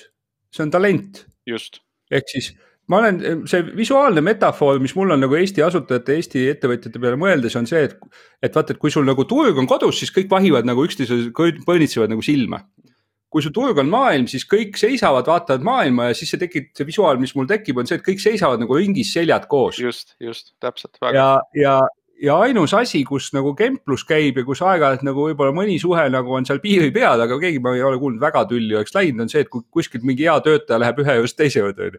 see on talent. Just. Ehk siis ma olen, see visuaalne metafoor, mis mul on nagu Eesti asutajate, Eesti ettevõtjate peale mõeldes on see, et vaata, et kui sul nagu turg on kodus, siis kõik vahivad nagu üksteise põnitsevad nagu silma. Kui su turg on maailm, siis kõik seisavad, vaatavad maailma ja siis see visuaal, mis mul tekib, on see, et kõik seisavad nagu ringis seljad koos. Just, täpselt. Ja ainus asi, kus nagu kemplus käib ja kus aeg-ajalt nagu võib-olla mõni suhe nagu on seal piiri peal, aga keegi ma ei ole kuulnud väga tülli oleks läinud, on see, et kui kuskilt mingi hea töötaja läheb ühe just teise juurde.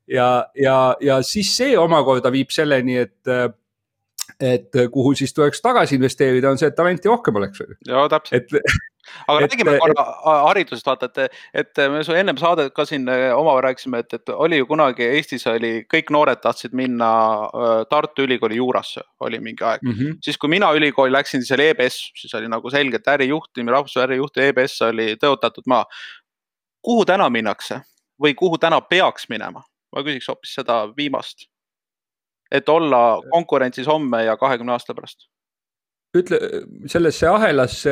Ja siis see omakorda viib selleni, et kuhu siis tuleks tagasi investeerida, on see, et talenti rohkem oleks. Joo, täpselt. Aga räägime korra haridusest, vaata, et me ennem saadet ka siin omavahel rääkisime, et oli ju kunagi Eestis kõik noored tahtsid minna Tartu Ülikooli juurasse, oli mingi aeg. Siis kui mina ülikooli läksin, siis oli EBS, siis oli nagu selgelt ärijuhtimine, rahvusvahelise ärijuhti EBS oli tõotatud maa. Kuhu täna minnakse või kuhu täna peaks minema? Ma küsiks hoopis seda viimast, et olla konkurentsis homme ja 20 aasta pärast. Ütle, sellesse ahelasse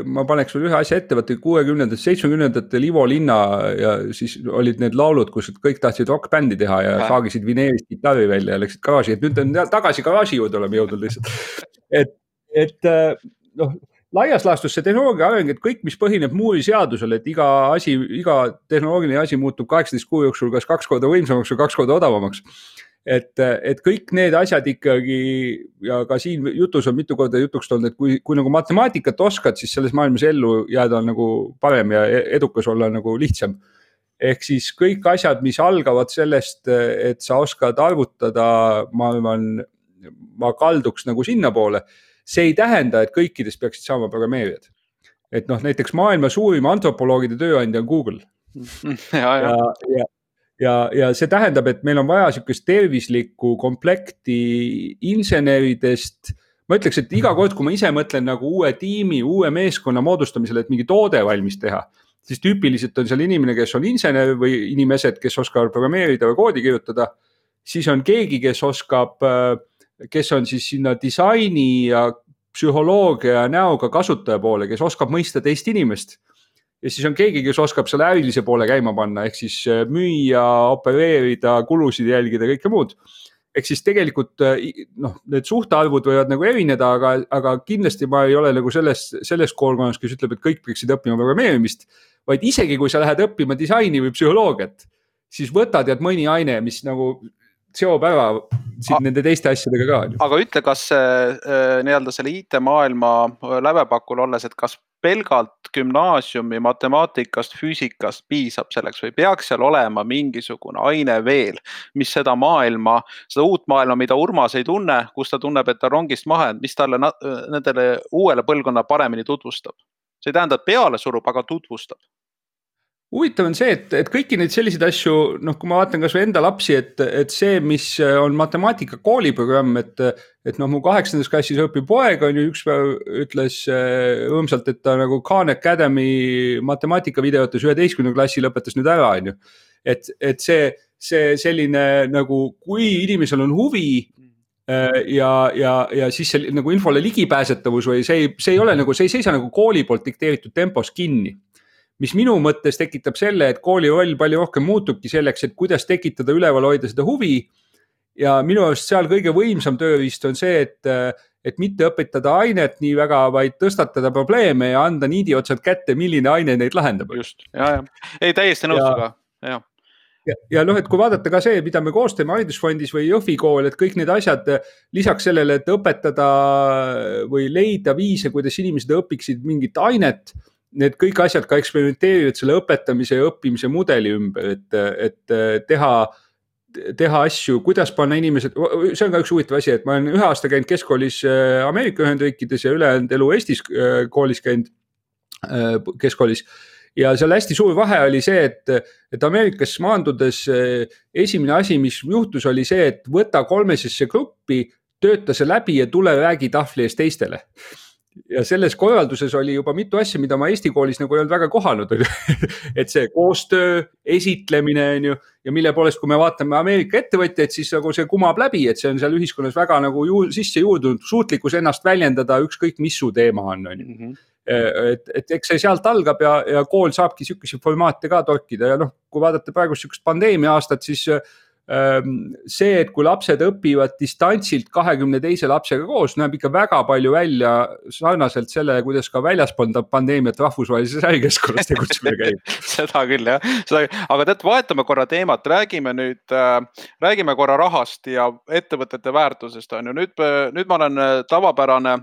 ma paneks veel ühe asja ette, võtta 60-ndatel, 70-ndatel Ivo Linna ja siis olid need laulud, kus kõik tahtsid rockbändi teha ja saagisid vineerist gitarri välja ja läksid garaaži, et nüüd on tagasi garaaži juurde oleme jõudnud lihtsalt. Et laias laastus see tehnoloogia areng, et kõik, mis põhineb Moore'i seadusel, et iga tehnoloogiline asi muutub 18 kuu jooksul kas 2 korda võimsamaks või 2 korda odavamaks. Et kõik need asjad ikkagi ja ka siin jutus on mitu korda jutuks olnud, et kui nagu matemaatikat oskad, siis selles maailmas ellu jääda on nagu parem ja edukas olla nagu lihtsam. Ehk siis kõik asjad, mis algavad sellest, et sa oskad arvutada, ma arvan, ma kalduks nagu sinna poole. See ei tähenda, et kõikidest peaksid saama programmeerijad. Et näiteks maailma suurim antropoloogide tööandja on Google. Ja see tähendab, et meil on vaja sükest tervislikku komplekti inseneridest. Ma ütleks, et iga kord, kui ma ise mõtlen nagu uue tiimi, uue meeskonna moodustamisele, et mingi toode valmis teha, siis tüüpiliselt on seal inimene, kes on insener või inimesed, kes oskavad programmeerida või koodi kirjutada. Siis on keegi, kes on siis sinna disaini ja psühholoogia näoga kasutaja poole, kes oskab mõista teist inimest. Ja siis on keegi, kes oskab selle ärilise poole käima panna, ehk siis müüa, opereerida, kulusid jälgida, kõike muud. Ehk siis tegelikult need suhtarvud võivad nagu erineda, aga kindlasti ma ei ole nagu selles koolkonnas, kes ütleb, et kõik peaksid õppima programmeerimist, vaid isegi kui sa lähed õppima disaini või psühholoogiat, siis võtad mõni aine, mis nagu seob ära nende teiste asjadega ka. Aga ütle, kas nii-öelda selle IT-maailma lävepakul olles, et kas pelgalt gümnaasiumi matemaatikast, füüsikast piisab selleks või peaks seal olema mingisugune aine veel, mis seda uut maailma, mida Urmas ei tunne, kus ta tunneb, et ta rongist maha, mis talle nendele uuele põlvkonna paremini tutvustab. See ei tähenda, et peale surub, aga tutvustab. Huvitav on see, et kõiki neid selliseid asju, kui ma vaatan kas või enda lapsi, et see, mis on matemaatika kooliprogramm, et mu 8. klassis õpib poeg, on ju üks päev ütles õõmsalt, et ta nagu Khan Academy matemaatika videotes 11. klassi lõpetas nüüd ära, on ju. et see selline nagu, kui inimesel on huvi ja siis see nagu infole ligipääsetavus või see ei ole nagu, see ei seisa nagu kooli poolt dikteeritud tempos kinni. Mis minu mõttes tekitab selle, et kooli roll palju rohkem muutubki selleks, et kuidas tekitada üleval hoida seda huvi. Ja minu arust seal kõige võimsam tööriist on see, et mitte õpetada ainet nii väga, vaid tõstatada probleeme ja anda niidi otsad kätte, milline aine neid lahendab. Just, ja. Ei, täiesti nõustuga, ja. Ja noh, et kui vaadata ka see, mida me koos teeme haridusfondis või Jõhvi kool, et kõik need asjad lisaks sellele, et õpetada või leida viise, kuidas inimesed õpiksid mingit ainet, need kõik asjad ka eksperimenteerivad selle õpetamise ja õppimise mudeli ümber, et teha asju, kuidas panna inimesed, see on ka üks huvitav asi, et ma olen 1 aasta käinud keskkoolis Ameerika Ühendriikides ja ülejäänud elu Eestis koolis käinud keskkoolis. Ja seal hästi suur vahe oli see, et Ameerikas maandudes esimene asi, mis juhtus, oli see, et võta 3 gruppi, tööta see läbi ja tule räägi tahvli ees teistele. Ja selles korralduses oli juba mitu asja, mida ma Eesti koolis nagu ei olnud väga kohanud. Et see koostöö, esitlemine ja mille poolest, kui me vaatame Ameerika ettevõtjaid, siis nagu see kumab läbi, et see on seal ühiskonnas väga nagu sisse juurdunud, suutlikkus ennast väljendada ükskõik mis su teema on. Et eks see sealt algab ja kool saabki sihukesi formaate ka torkida ja noh, kui vaadata praegu sihukest pandeemia aastat, siis see, et kui lapsed õpivad distantsilt 22 lapsega koos, näeb ikka väga palju välja sarnaselt sellele, kuidas ka väljaspool pandeemiat rahvusvahelises ärikeskkonnas tegutsemine käib. Seda küll, jah. Aga tead, vahetame korra teemat, räägime korra rahast ja ettevõtete väärtusest. Nüüd ma olen tavapärane,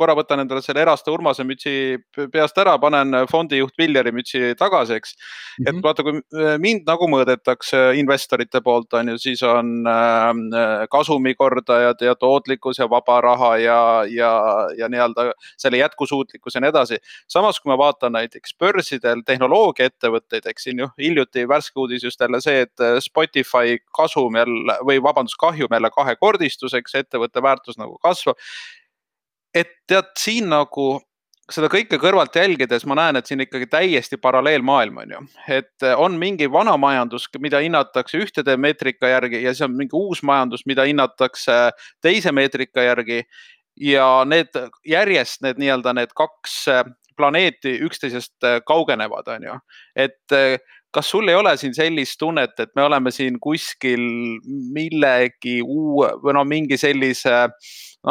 korra võtan endale selle Eraste Urmase mütsi peast ära, panen fondijuht Villeri mütsi tagaseks. Et vaata, kui mind nagu mõõdetakse investorite poolt, siis on kasumikordajad ja tootlikkus ja vaba raha ja nii-öelda selle jätkusuutlikkus ja nii edasi. Samas, kui ma vaatan näiteks börsidel tehnoloogiaettevõtteid, eks siin hiljuti värske uudis just jälle see, et Spotify kahjum jälle 2-kordistuseks, ettevõtte väärtus nagu kasvab. Et tead, siin nagu seda kõike kõrvalt jälgides ma näen, et siin ikkagi täiesti paralleelmaailm on ju. Et on mingi vana majandus, mida hinnatakse ühtede meetrika järgi ja see on mingi uus majandus, mida hinnatakse teise meetrika järgi ja need nii-öelda need 2 planeeti üksteisest kaugenevad on ju. Et kas sul ei ole siin sellist tunnet, et me oleme siin kuskil millegi või mingi sellise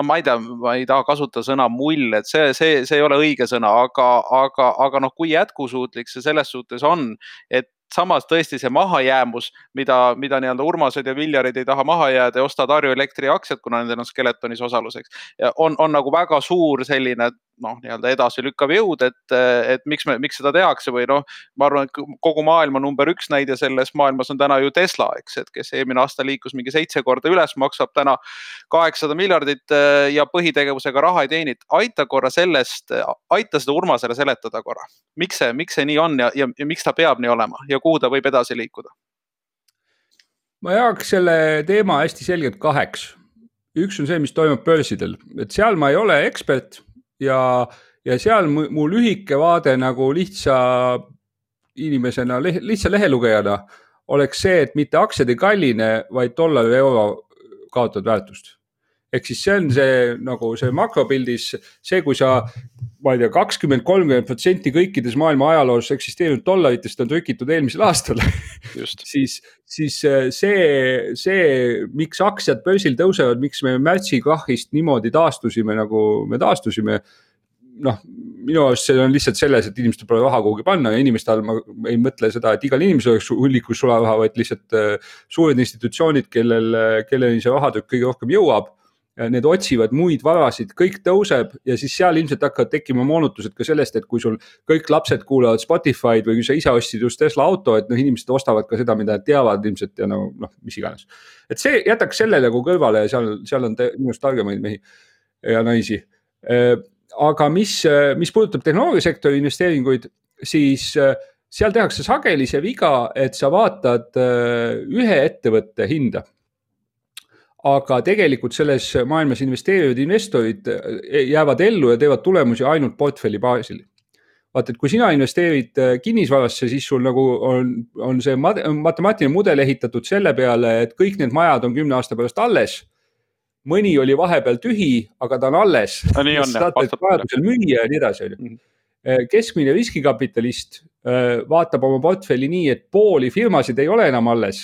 ma ei taha kasutada sõna mull, et see ei ole õige sõna, aga kui jätkusuutlik see selles suhtes on, et samas tõesti see mahajäämus, mida nii-öelda Urmased ja Viljarid ei taha maha jääda ja ostad Harju Elektri aktsiat, kuna nendel on Skeletonis osaluseks, on nagu väga suur selline nii-öelda edasi lükkav jõud, et miks seda tehakse või ma arvan, et kogu maailma number 1 näide selles maailmas on täna ju Tesla, eks, et kes eelmine aasta liikus mingi 7 korda üles, maksab täna 800 miljardit ja põhitegevusega raha ei teenid. Aita seda Urmasele seletada korra. Miks see nii on ja miks ta peab nii olema ja kuhu ta võib edasi liikuda? Ma jagaks selle teema hästi selgelt 2. Üks on see, mis toimub börsidel, et seal ma ei ole ekspert ja seal mu lühike vaade nagu lihtsa inimesena, lihtsa lehelugejana oleks see, et mitte aktsiad ei kalline, vaid dollar ja euro kaotavad väärtust. Ehk siis see on see makropildis, see kui sa, ma ei tea, 20-30% kõikides maailma ajaloos eksisteerinud dollaritest on trükitud eelmisel aastal, siis see, miks aktsiad börsil tõusevad, miks me märtsi krahhist niimoodi taastusime, nagu me taastusime, minu arust see on lihtsalt selles, et inimestel pole raha kuhugi panna ja inimestel ma ei mõtle seda, et igal inimesel oleks hullikus sularaha, vaid lihtsalt suured institutsioonid, kelleni see rahatrükk kõige rohkem jõuab. Need otsivad muid varasid, kõik tõuseb ja siis seal ilmselt hakkavad tekkima moonutused ka sellest, et kui sul kõik lapsed kuulavad Spotify'd või kui sa ise ostsid just Tesla auto, et inimesed ostavad ka seda, mida nad teavad ilmselt ja mis iganes. Et see jätaks selle nagu kõrvale ja seal on minust targemaid mehi ja naisi. Aga mis puudutab tehnoloogiasektori investeeringuid, siis seal tehakse sageli see viga, et sa vaatad ühe ettevõtte hinda. Aga tegelikult selles maailmas investeerivad investorid jäävad ellu ja teevad tulemusi ainult portfelli baasil. vaata, et kui sina investeerid kinnisvarasse, siis sul nagu on see matemaatiline mudel ehitatud selle peale, et kõik need majad on 10 aasta pärast alles. Mõni oli vahepeal tühi, aga ta on alles. Nii on, vajadusel müüa ja nii edasi. Keskmine riskikapitalist vaatab oma portfelli nii, et pooli firmasid ei ole enam alles.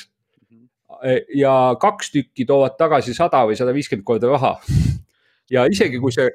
Ja 2 tükki toovad tagasi 100 või 150 korda raha. Ja isegi kui see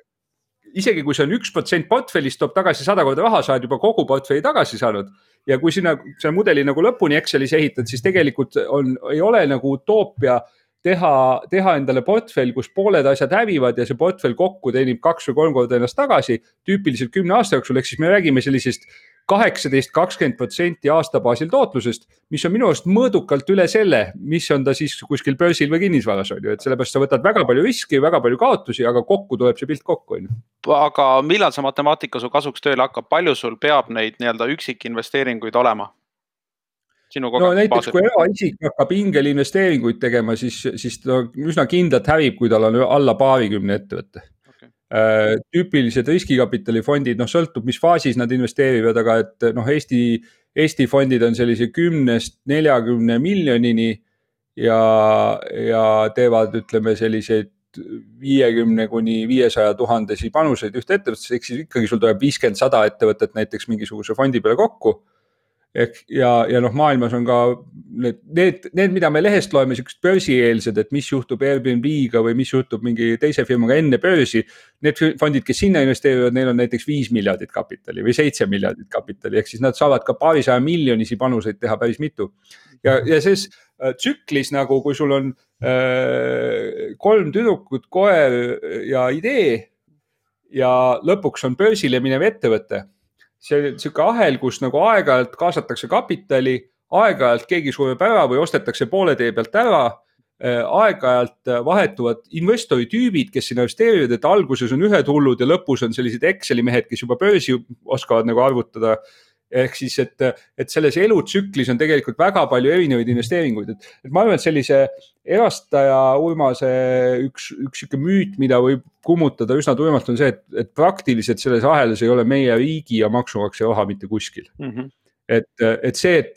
on 1% portfellist toob tagasi 100 korda raha, sa oled juba kogu portfelli tagasi saanud. Ja kui sina see mudeli nagu lõpuni Excelis ehitad, siis tegelikult ei ole nagu utoopia teha endale portfell, kus pooled asjad hävivad ja see portfell kokku teenib 2 või 3 korda ennast tagasi, tüüpiliselt 10 aasta jooksul, ehk siis me räägime sellisest 18-20% aastabaasil tootlusest, mis on minu arust mõõdukalt üle selle, mis on ta siis kuskil börsil või kinnisvaras, on ju, et sellepärast sa võtad väga palju riski, väga palju kaotusi, aga kokku tuleb see pilt kokku, on ju. Aga millal see matemaatika su kasuks tööle hakkab, palju sul peab neid nii-öelda üksikinvesteeringuid olema? No näiteks kui eraisik hakkab ingelinvesteeringuid tegema, siis ta üsna kindlalt hävib, kui tal on alla 20 ettevõtte. Tüüpilised riskikapitalifondid, sõltub, mis faasis nad investeerivad, aga et Eesti fondid on sellise 10-40 miljonini ja teevad, ütleme, selliseid 50-500 000 panuseid ühte ettevõttesse, ehk siis ikkagi sul tuleb 50-100 ettevõtet näiteks mingisuguse fondi peale kokku. Ja maailmas on ka need, mida me lehest loeme, sellised börsieelsed, et mis juhtub Airbnb-ga või mis juhtub mingi teise firmaga enne börsi. Need fondid, kes sinna investeerivad, neil on näiteks 5 miljardit kapitali või 7 miljardit kapitali, ehk siis nad saavad ka paarisaja miljonisi panuseid teha päris mitu. Ja siis tsüklis nagu, kui sul on 3 tüdrukut, koer ja idee ja lõpuks on börsile minev ettevõte. See on selline ahel, kus nagu aeg-ajalt kaasatakse kapitali, aeg-ajalt keegi sureb ära või ostetakse poole tee pealt ära, aeg-ajalt vahetuvad investori tüübid, kes investeerivad, et alguses on ühed hullud ja lõpus on sellised Exceli mehed, kes juba börsi oskavad nagu arvutada. Ehk siis, et selles elutsüklis on tegelikult väga palju erinevaid investeeringuid. Et ma arvan, et sellise erastaja Urmase üks müüt, mida võib kummutada üsna tuimalt, on see, et praktiliselt selles ahelas ei ole meie riigi ja maksumaksja raha mitte kuskil. Et see, et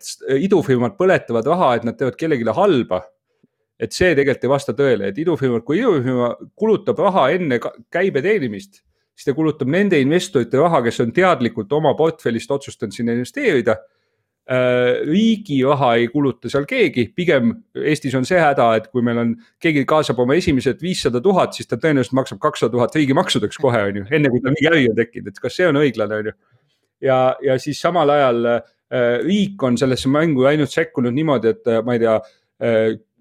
idufirmad põletavad raha, et nad teevad kellelegi halba, et see tegelikult ei vasta tõele. Et kui idufirma kulutab raha enne käibe teenimist, siis ta kulutab nende investorite raha, kes on teadlikult oma portfellist otsustanud sinna investeerida. Riigi raha ei kuluta seal keegi, pigem Eestis on see häda, et kui meil on, keegi kaasab oma esimesed 500 000, siis ta tõenäoliselt maksab 200 000 riigimaksudeks kohe, on ju, enne kui ta mingi äri on tekkinud, et kas see on õiglane, on ju. Ja siis samal ajal riik on sellesse mängu ainult sekkunud niimoodi, et ma ei tea,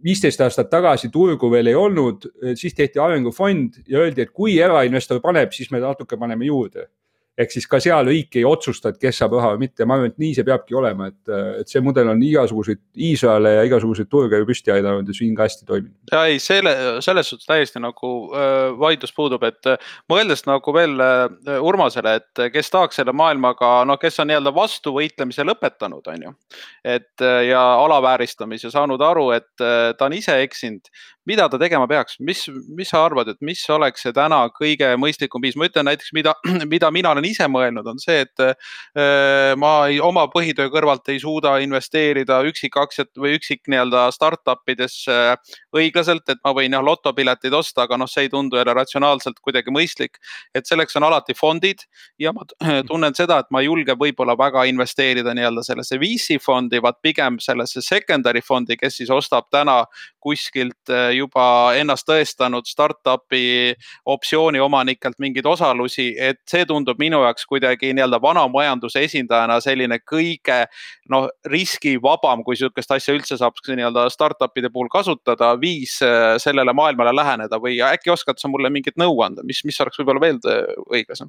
15 aastat tagasi turgu veel ei olnud, siis tehti arengufond ja öeldi, et kui erainvestor paneb, siis me natuke paneme juurde. Ehk siis ka seal riik ei otsusta, et kes saab raha või mitte. Ma arvan, et nii see peabki olema, et see mudel on igasuguseid Iisraele ja igasuguseid turge ju püsti aidanud ja siin ka hästi toiminud. Ja ei, selles suhtes täiesti nagu vaidlus puudub, et mõeldes nagu veel Urmasele, et kes tahaks selle maailmaga, kes on nii-öelda vastu võitlemise lõpetanud, on ju, et ja alavääristamise saanud aru, et ta on ise eksinud, mida ta tegema peaks? Mis sa arvad, et mis oleks see täna kõige mõistlikum viis? Ma ütlen näiteks, mida mina olen ise mõelnud, on see, et ma oma põhitöö kõrvalt ei suuda investeerida üksikaktsiat või üksik nii-öelda startupides õiglaselt, et ma võin lotopiletid osta, aga see ei tundu jälle ratsionaalselt kuidagi mõistlik, et selleks on alati fondid ja ma tunnen seda, et ma ei julge võib-olla väga investeerida nii-öelda sellesse VC fondi, vaid pigem sellesse secondary fondi, kes siis ostab täna kuskilt juba ennast tõestanud startupi optsiooni omanikelt mingeid osalusi, et see tundub minu jaoks kuidagi nii-öelda vana majanduse esindajana selline kõige riskivabam, kui sihukest asja üldse saab nii-öelda startupide puhul kasutada, viis sellele maailmale läheneda või äkki oskad sa mulle mingit nõu anda, mis oleks võib-olla veel õiglasem?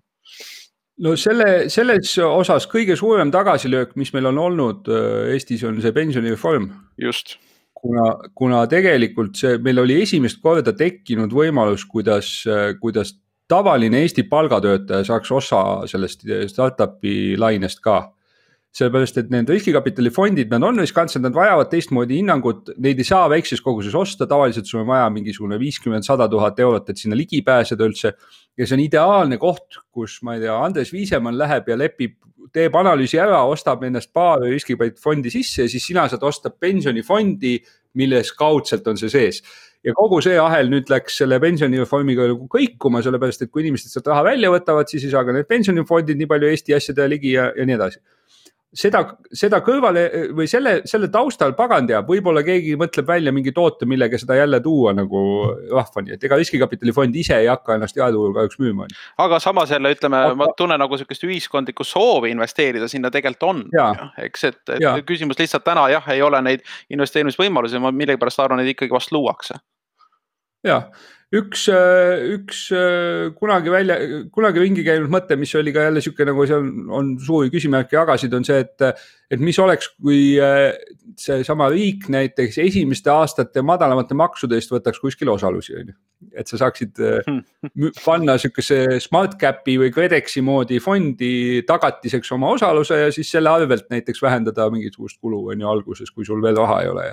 No selles osas kõige suurem tagasilöök, mis meil on olnud Eestis, on see pensionireform. Just. Kuna tegelikult meil oli esimest korda tekkinud võimalus, kuidas tavaline Eesti palgatöötaja saaks osa sellest startupi lainest ka. Sellepärast, et need riskikapitalifondid, nad on riskantsed, nad vajavad teistmoodi hinnangut, neid ei saa väikses koguses osta, tavaliselt sul on vaja mingisugune 50-100 000 eurot, et sinna ligi pääseda üldse. Ja see on ideaalne koht, kus, ma ei tea, Andres Viisemann läheb ja lepib teeb analüüsi ära, ostab ennast paar riskipäid fondi sisse ja siis sina saad osta pensionifondi, milles kaudselt on see sees. Ja kogu see ahel nüüd läks selle pensionireformiga kõikuma, sellepärast, et kui inimesed sealt raha välja võtavad, siis ei saa ka need pensionifondid nii palju Eesti asjade ligi ja nii edasi. Seda kõrvale või selle taustal pagan teab, võib-olla keegi mõtleb välja mingi toote, millega seda jälle tuua nagu rahvani, et ega riskikapitalifond ise ei hakka ennast jaeturul kahjuks müüma. Aga samas jälle ütleme, ma tunnen nagu sellist ühiskondlikku soovi investeerida sinna tegelikult on. Eks, et küsimus lihtsalt täna ei ole neid investeerimisvõimalusi, ma millegipärast arvan, et ikkagi vast luuakse. Jah, üks kunagi ringi käinud mõte, mis oli ka jälle siuke nagu seal on suuri küsimärke jagasid, on see, et mis oleks, kui see sama riik näiteks esimeste aastate madalamate maksude eest võtaks kuskil osalusi. Et sa saaksid panna siukese smart capi või Credexi moodi fondi tagatiseks oma osaluse ja siis selle arvelt näiteks vähendada mingisugust kulu alguses, kui sul veel raha ei ole.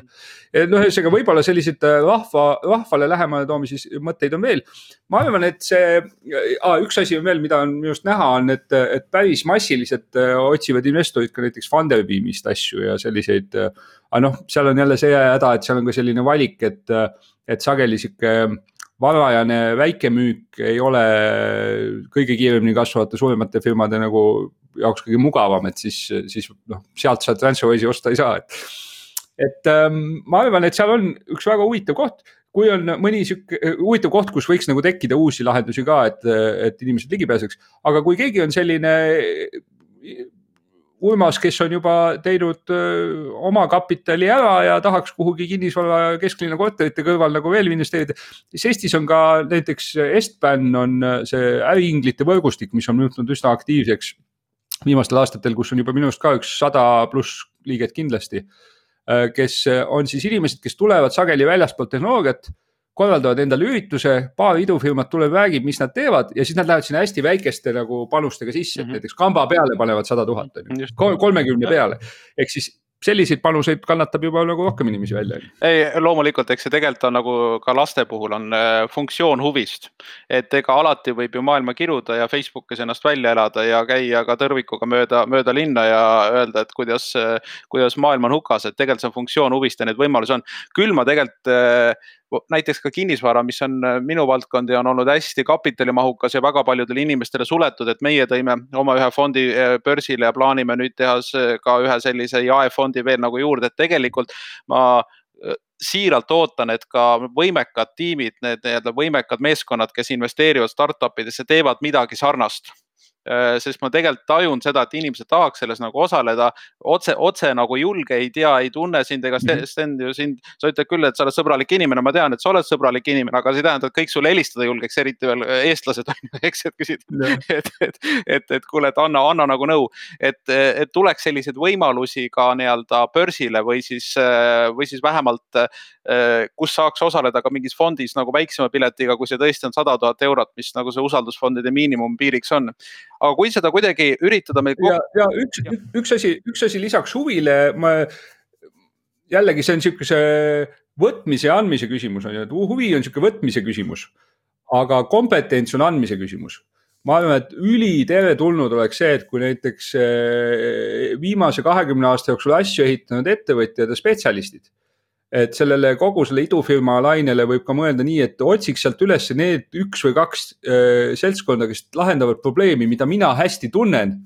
Ühesõnaga võib-olla sellised rahvale lähemale toomises mõtteid on veel. Ma arvan, et üks asi on veel, mida on minust näha, on, et päris massiliselt otsivad investorid ka näiteks Funderbeamist asju ja selliseid, seal on jälle see häda, et seal on ka selline valik, et sageli siuke varajane väikemüük ei ole kõige kiiremini kasvavate suuremate firmade nagu jaoks kõige mugavam, et siis sealt sa TransferWise'i osta ei saa. Et ma arvan, et seal on üks väga huvitav koht, kui on mõni huvitav koht, kus võiks nagu tekkida uusi lahendusi ka, et inimesed ligi pääseks, aga kui keegi on selline Urmas, kes on juba teinud oma kapitali ära ja tahaks kuhugi kinnisvara kesklinna korterite kõrval nagu veel investeerida, siis Eestis on ka näiteks Estban on see äriinglite võrgustik, mis on muutunud üsna aktiivseks viimastel aastatel, kus on juba minust ka üks 100+ liiget kindlasti, kes on siis inimesed, kes tulevad sageli väljaspoolt tehnoloogiat, korraldavad endale ürituse, paar idufirmat tuleb, räägib, mis nad teevad ja siis nad lähevad sinna hästi väikeste nagu panustega sisse, et näiteks kamba peale panevad 100,000, 30 peale. Ehk siis selliseid panuseid kannatab juba nagu rohkem inimesi välja. Ei, loomulikult, eks see tegelikult on nagu ka laste puhul on funktsioon huvist, et ega alati võib ju maailma kiruda ja Facebookis ennast välja elada ja käia ka tõrvikuga mööda linna ja öelda, et kuidas maailm on hukas, et tegelikult see on funktsioon huvist ja need võimalusi on. Küll ma tegelikult näiteks ka kinnisvara, mis on minu valdkondi on olnud hästi kapitalimahukas ja väga paljudele inimestele suletud, et meie tõime oma ühe fondi börsile ja plaanime nüüd teha ka ühe sellise jaefondi veel nagu juurde, et tegelikult ma siiralt ootan, et ka võimekad tiimid, need võimekad meeskonnad, kes investeerivad startupidesse, teevad midagi sarnast. Sest ma tegelikult tajun seda, et inimesed tahaks selles nagu osaleda, otse nagu julge, ei tea, ei tunne sind ega Sten ju sind, sa ütled küll, et sa oled sõbralik inimene, ma tean, et sa oled sõbralik inimene, aga see tähendab, et kõik sulle helistada julgeks, eriti veel eestlased on, eks, et küsid, et kuule, et anna nagu nõu, et tuleks selliseid võimalusi ka nii-öelda börsile või siis vähemalt, kus saaks osaleda ka mingis fondis nagu väiksema piletiga, kui see tõesti on 100,000 eurot, mis nagu see usaldusfondide miinimumpiiriks on. Aga kui seda kuidagi üritada meil... Ja üks asi lisaks huvile, jällegi see on niisuguse võtmise ja andmise küsimus, huvi on niisugune võtmise küsimus, aga kompetents on andmise küsimus. Ma arvan, et üliteretulnud oleks see, et kui näiteks viimase 20 aasta jooksul asju ehitanud ettevõtjad ja spetsialistid, et sellele kogu selle idufirma lainele võib ka mõelda nii, et otsiks sealt üles need 1 või 2 seltskonda, kes lahendavad probleemi, mida mina hästi tunnen,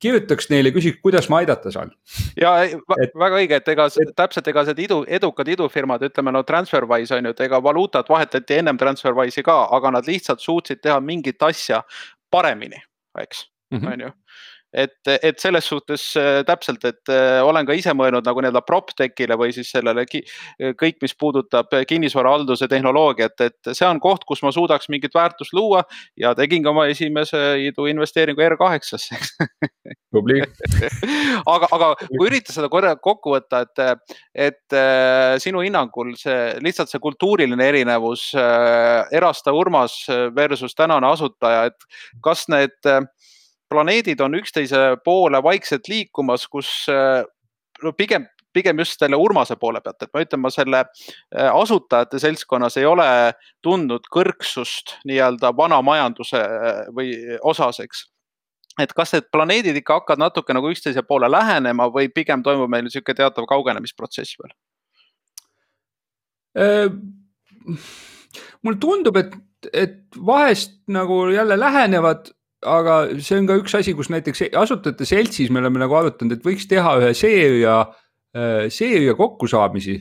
kirjutaks neile, küsiks, kuidas ma aidata saan. Ja väga õige, et täpselt edukad idufirmad, ütleme TransferWise on ju, et ega valuutat vahetati ennem TransferWise'i ka, aga nad lihtsalt suutsid teha mingit asja paremini, eks, on ju. Et selles suhtes täpselt, et olen ka ise mõelnud nagu nii-öelda PropTechile või siis sellele kõik, mis puudutab kinnisvarahalduse tehnoloogiat, et see on koht, kus ma suudaks mingit väärtust luua ja tegin ka oma esimese investeeringu R8-sse. Aga kui üritada seda korra kokku võtta, et sinu hinnangul lihtsalt see kultuuriline erinevus Erasta Urmas versus tänane asutaja, et kas need planeedid on üksteise poole vaikselt liikumas, kus pigem just selle Urmase poole pealt, et ma ütlen, ma selle asutajate seltskonnas ei ole tundnud kõrgsust nii-öelda vana majanduse või osaseks. et kas need planeedid ikka hakkavad natuke nagu üksteise poole lähenema või pigem toimub meil niisugune teatav kaugenemisprotsess veel? Mulle tundub, et vahest nagu jälle lähenevad, aga see on ka üks asi, kus näiteks asutajate seltsis me oleme nagu arutanud, et võiks teha ühe seeria kokkusaamisi,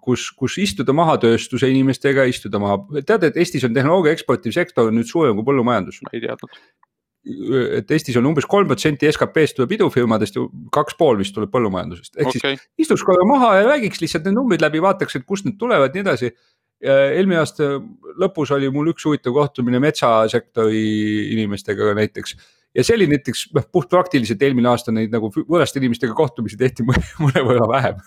kus istuda maha tööstuse inimestega, istuda maha. Tead, et Eestis on tehnoloogia eksportiv sektor nüüd suurem kui põllumajandus. Ma ei teadnud. Et Eestis on umbes 3% SKP-st tuleb idufirmadest ja 2,5 vist tuleb põllumajandusest. Ehk siis istuks korra maha ja räägiks lihtsalt need numbrid läbi, vaataks, et kust need tulevad, nii edasi. Eelmine aasta lõpus oli mul üks huvitav kohtumine metsasektori inimestega näiteks. Ja see oli näiteks puht praktiliselt eelmine aasta neid nagu võõraste inimestega kohtumisi tehti mõne võrra vähem.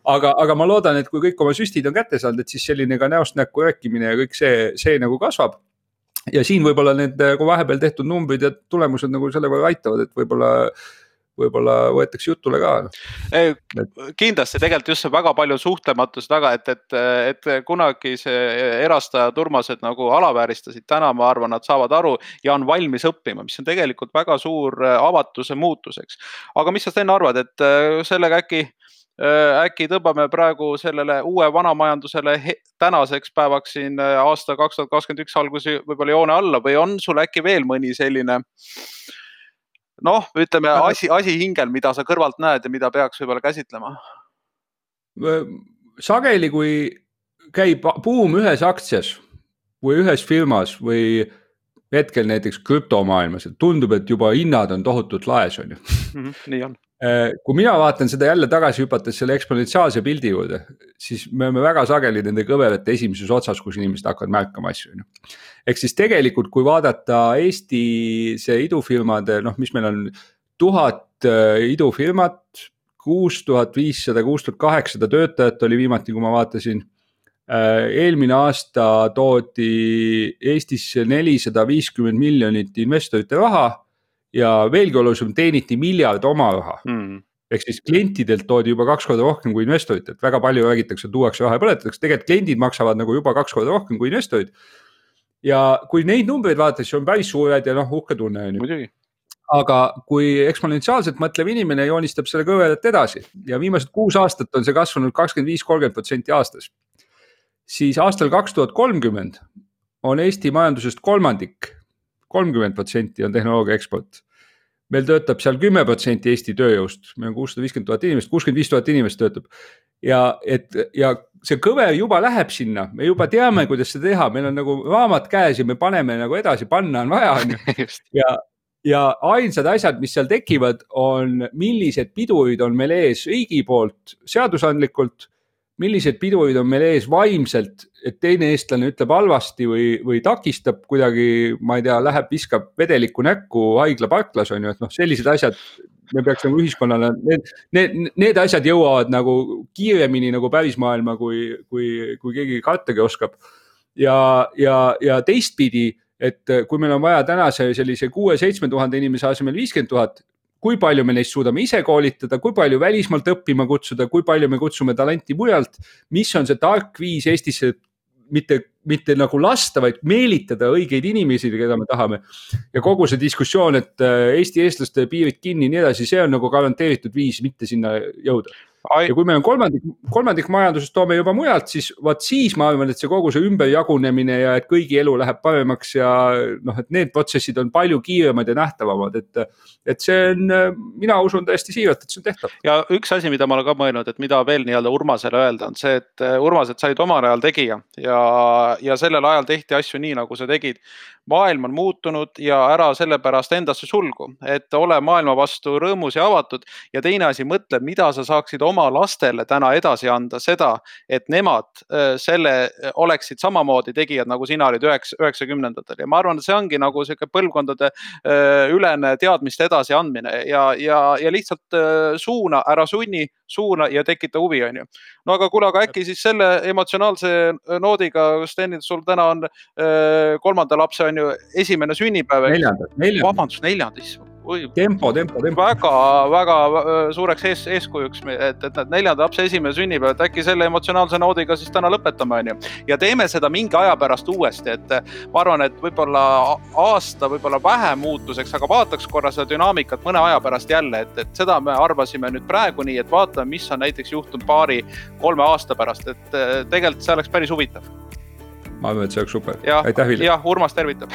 Aga ma loodan, et kui kõik oma süstid on kätte saanud, et siis selline ka näost näkku rääkimine ja kõik see nagu kasvab. Ja siin võib-olla need vahepeal tehtud numbrid ja tulemused nagu selle võrra aitavad, et võib-olla võetakse jutule ka. Kindlasti tegelikult just see väga palju suhtlematus taga, et kunagi see erastajad Urmased nagu alavääristasid, täna ma arvan, nad saavad aru ja on valmis õppima, mis on tegelikult väga suur avatuse muutuseks. Aga mis sa Sten arvad, et sellega äkki tõmbame praegu sellele uue vanamajandusele tänaseks päevaks siin aasta 2021 algusi võib-olla joone alla või on sul äkki veel mõni selline ütleme asi hingel, mida sa kõrvalt näed ja mida peaks võib-olla käsitlema? Sageli, kui käib buum ühes aktsias või ühes firmas või hetkel näiteks krüptomaailmas, et tundub, et juba hinnad on tohutult laes, on ju. Nii on. Kui mina vaatan seda jälle tagasi hüpates selle eksponentsiaalse pildi juurde, siis me oleme väga sageli nende kõverate esimeses otsas, kus inimesed hakkavad märkama asju. Ehk siis tegelikult, kui vaadata Eesti see idufirmade, mis meil on 1000 idufirmat, 6500, 6800 töötajat oli viimati, kui ma vaatasin. Eelmine aasta toodi Eestisse 450 miljonit investorite raha ja veelgi olulisem teeniti miljard oma raha. Ehk siis klientidelt toodi juba 2 korda rohkem kui investorid, et väga palju räägitakse, tuuakse raha ja põletatakse, tegelikult kliendid maksavad nagu juba 2 korda rohkem kui investorid. Ja kui neid numbreid vaadates, on päris suured ja uhke tunne. Muidugi. Aga kui eksponentsiaalselt mõtlev inimene joonistab selle kõvedat edasi ja viimased 6 aastat on see kasvanud 25-30% aastas, siis aastal 2030 on Eesti majandusest kolmandik, 30% on tehnoloogia eksport. Meil töötab seal 10% Eesti tööjõust, meil on 650 000 inimest, 65 000 inimest töötab. Ja see kõver juba läheb sinna, me juba teame, kuidas seda teha, meil on nagu raamat käes ja me paneme nagu edasi, panna on vaja. Ja ainsad asjad, mis seal tekivad, on millised pidurid on meil ees riigi poolt seadusandlikult, millised pidurid on meil ees vaimselt, et teine eestlane ütleb halvasti või takistab kuidagi, ma ei tea, läheb, viskab vedelikku näkku haigla parklas, on ju, et sellised asjad me peaks nagu ühiskonnale, need asjad jõuavad nagu kiiremini nagu pärismaailma, kui keegi kartagi oskab. Ja teistpidi, et kui meil on vaja tänase sellise 6-7 000 inimese asemel 50 000, kui palju me neist suudame ise koolitada, kui palju välismaalt õppima kutsuda, kui palju me kutsume talenti mujalt, mis on see tark viis Eestisse mitte nagu lasta, vaid meelitada õigeid inimesi, keda me tahame. Ja kogu see diskussioon, et Eesti eestlaste piirid kinni nii edasi, see on nagu garanteeritud viis mitte sinna jõuda. Ja kui meil on kolmandik majandusest toome juba mujalt, siis ma arvan, et see kogu see ümberjagunemine ja et kõigi elu läheb paremaks ja et need protsessid on palju kiiremad ja nähtavamad, et see on, mina usun täiesti siiralt, et see on tehtav. Ja üks asi, mida ma olen ka mõelnud, et mida veel nii-öelda Urmasele öelda on see, et Urmased said omal ajal tegija ja sellel ajal tehti asju nii, nagu sa tegid. Maailm on muutunud ja ära sellepärast endasse sulgu, et ole maailma vastu rõõmus ja avatud ja teine asi mõtle, mida sa saaksid oma lastele täna edasi anda seda, et nemad selle oleksid samamoodi tegijad, nagu sina olid 90-ndatel. Ja ma arvan, et see ongi nagu selline põlvkondade ülene teadmiste edasi andmine ja lihtsalt suuna, ära sunni, suuna ja tekita huvi, on ju. No aga kuule, aga äkki siis selle emotsionaalse noodiga, Sten, sul täna on 3. lapse on ju esimene sünnipäev. Neljanda. Vabandust, 4. tempo. väga suureks eeskujuks, et need 4. lapse esimene sünnipäev, et äkki selle emotsionaalse noodiga siis täna lõpetame, on ju. Ja teeme seda mingi aja pärast uuesti, et ma arvan, et võib-olla aasta, võib-olla vähe muutuseks, aga vaataks korra seda dünaamikat mõne aja pärast jälle, et seda me arvasime nüüd praegu nii, et vaatame, mis on näiteks juhtunud 2-3 aasta pärast, et tegelikult see oleks päris huvitav. Ma arvan, et see oleks super. Aitäh, Vilja. Urmas tervitab.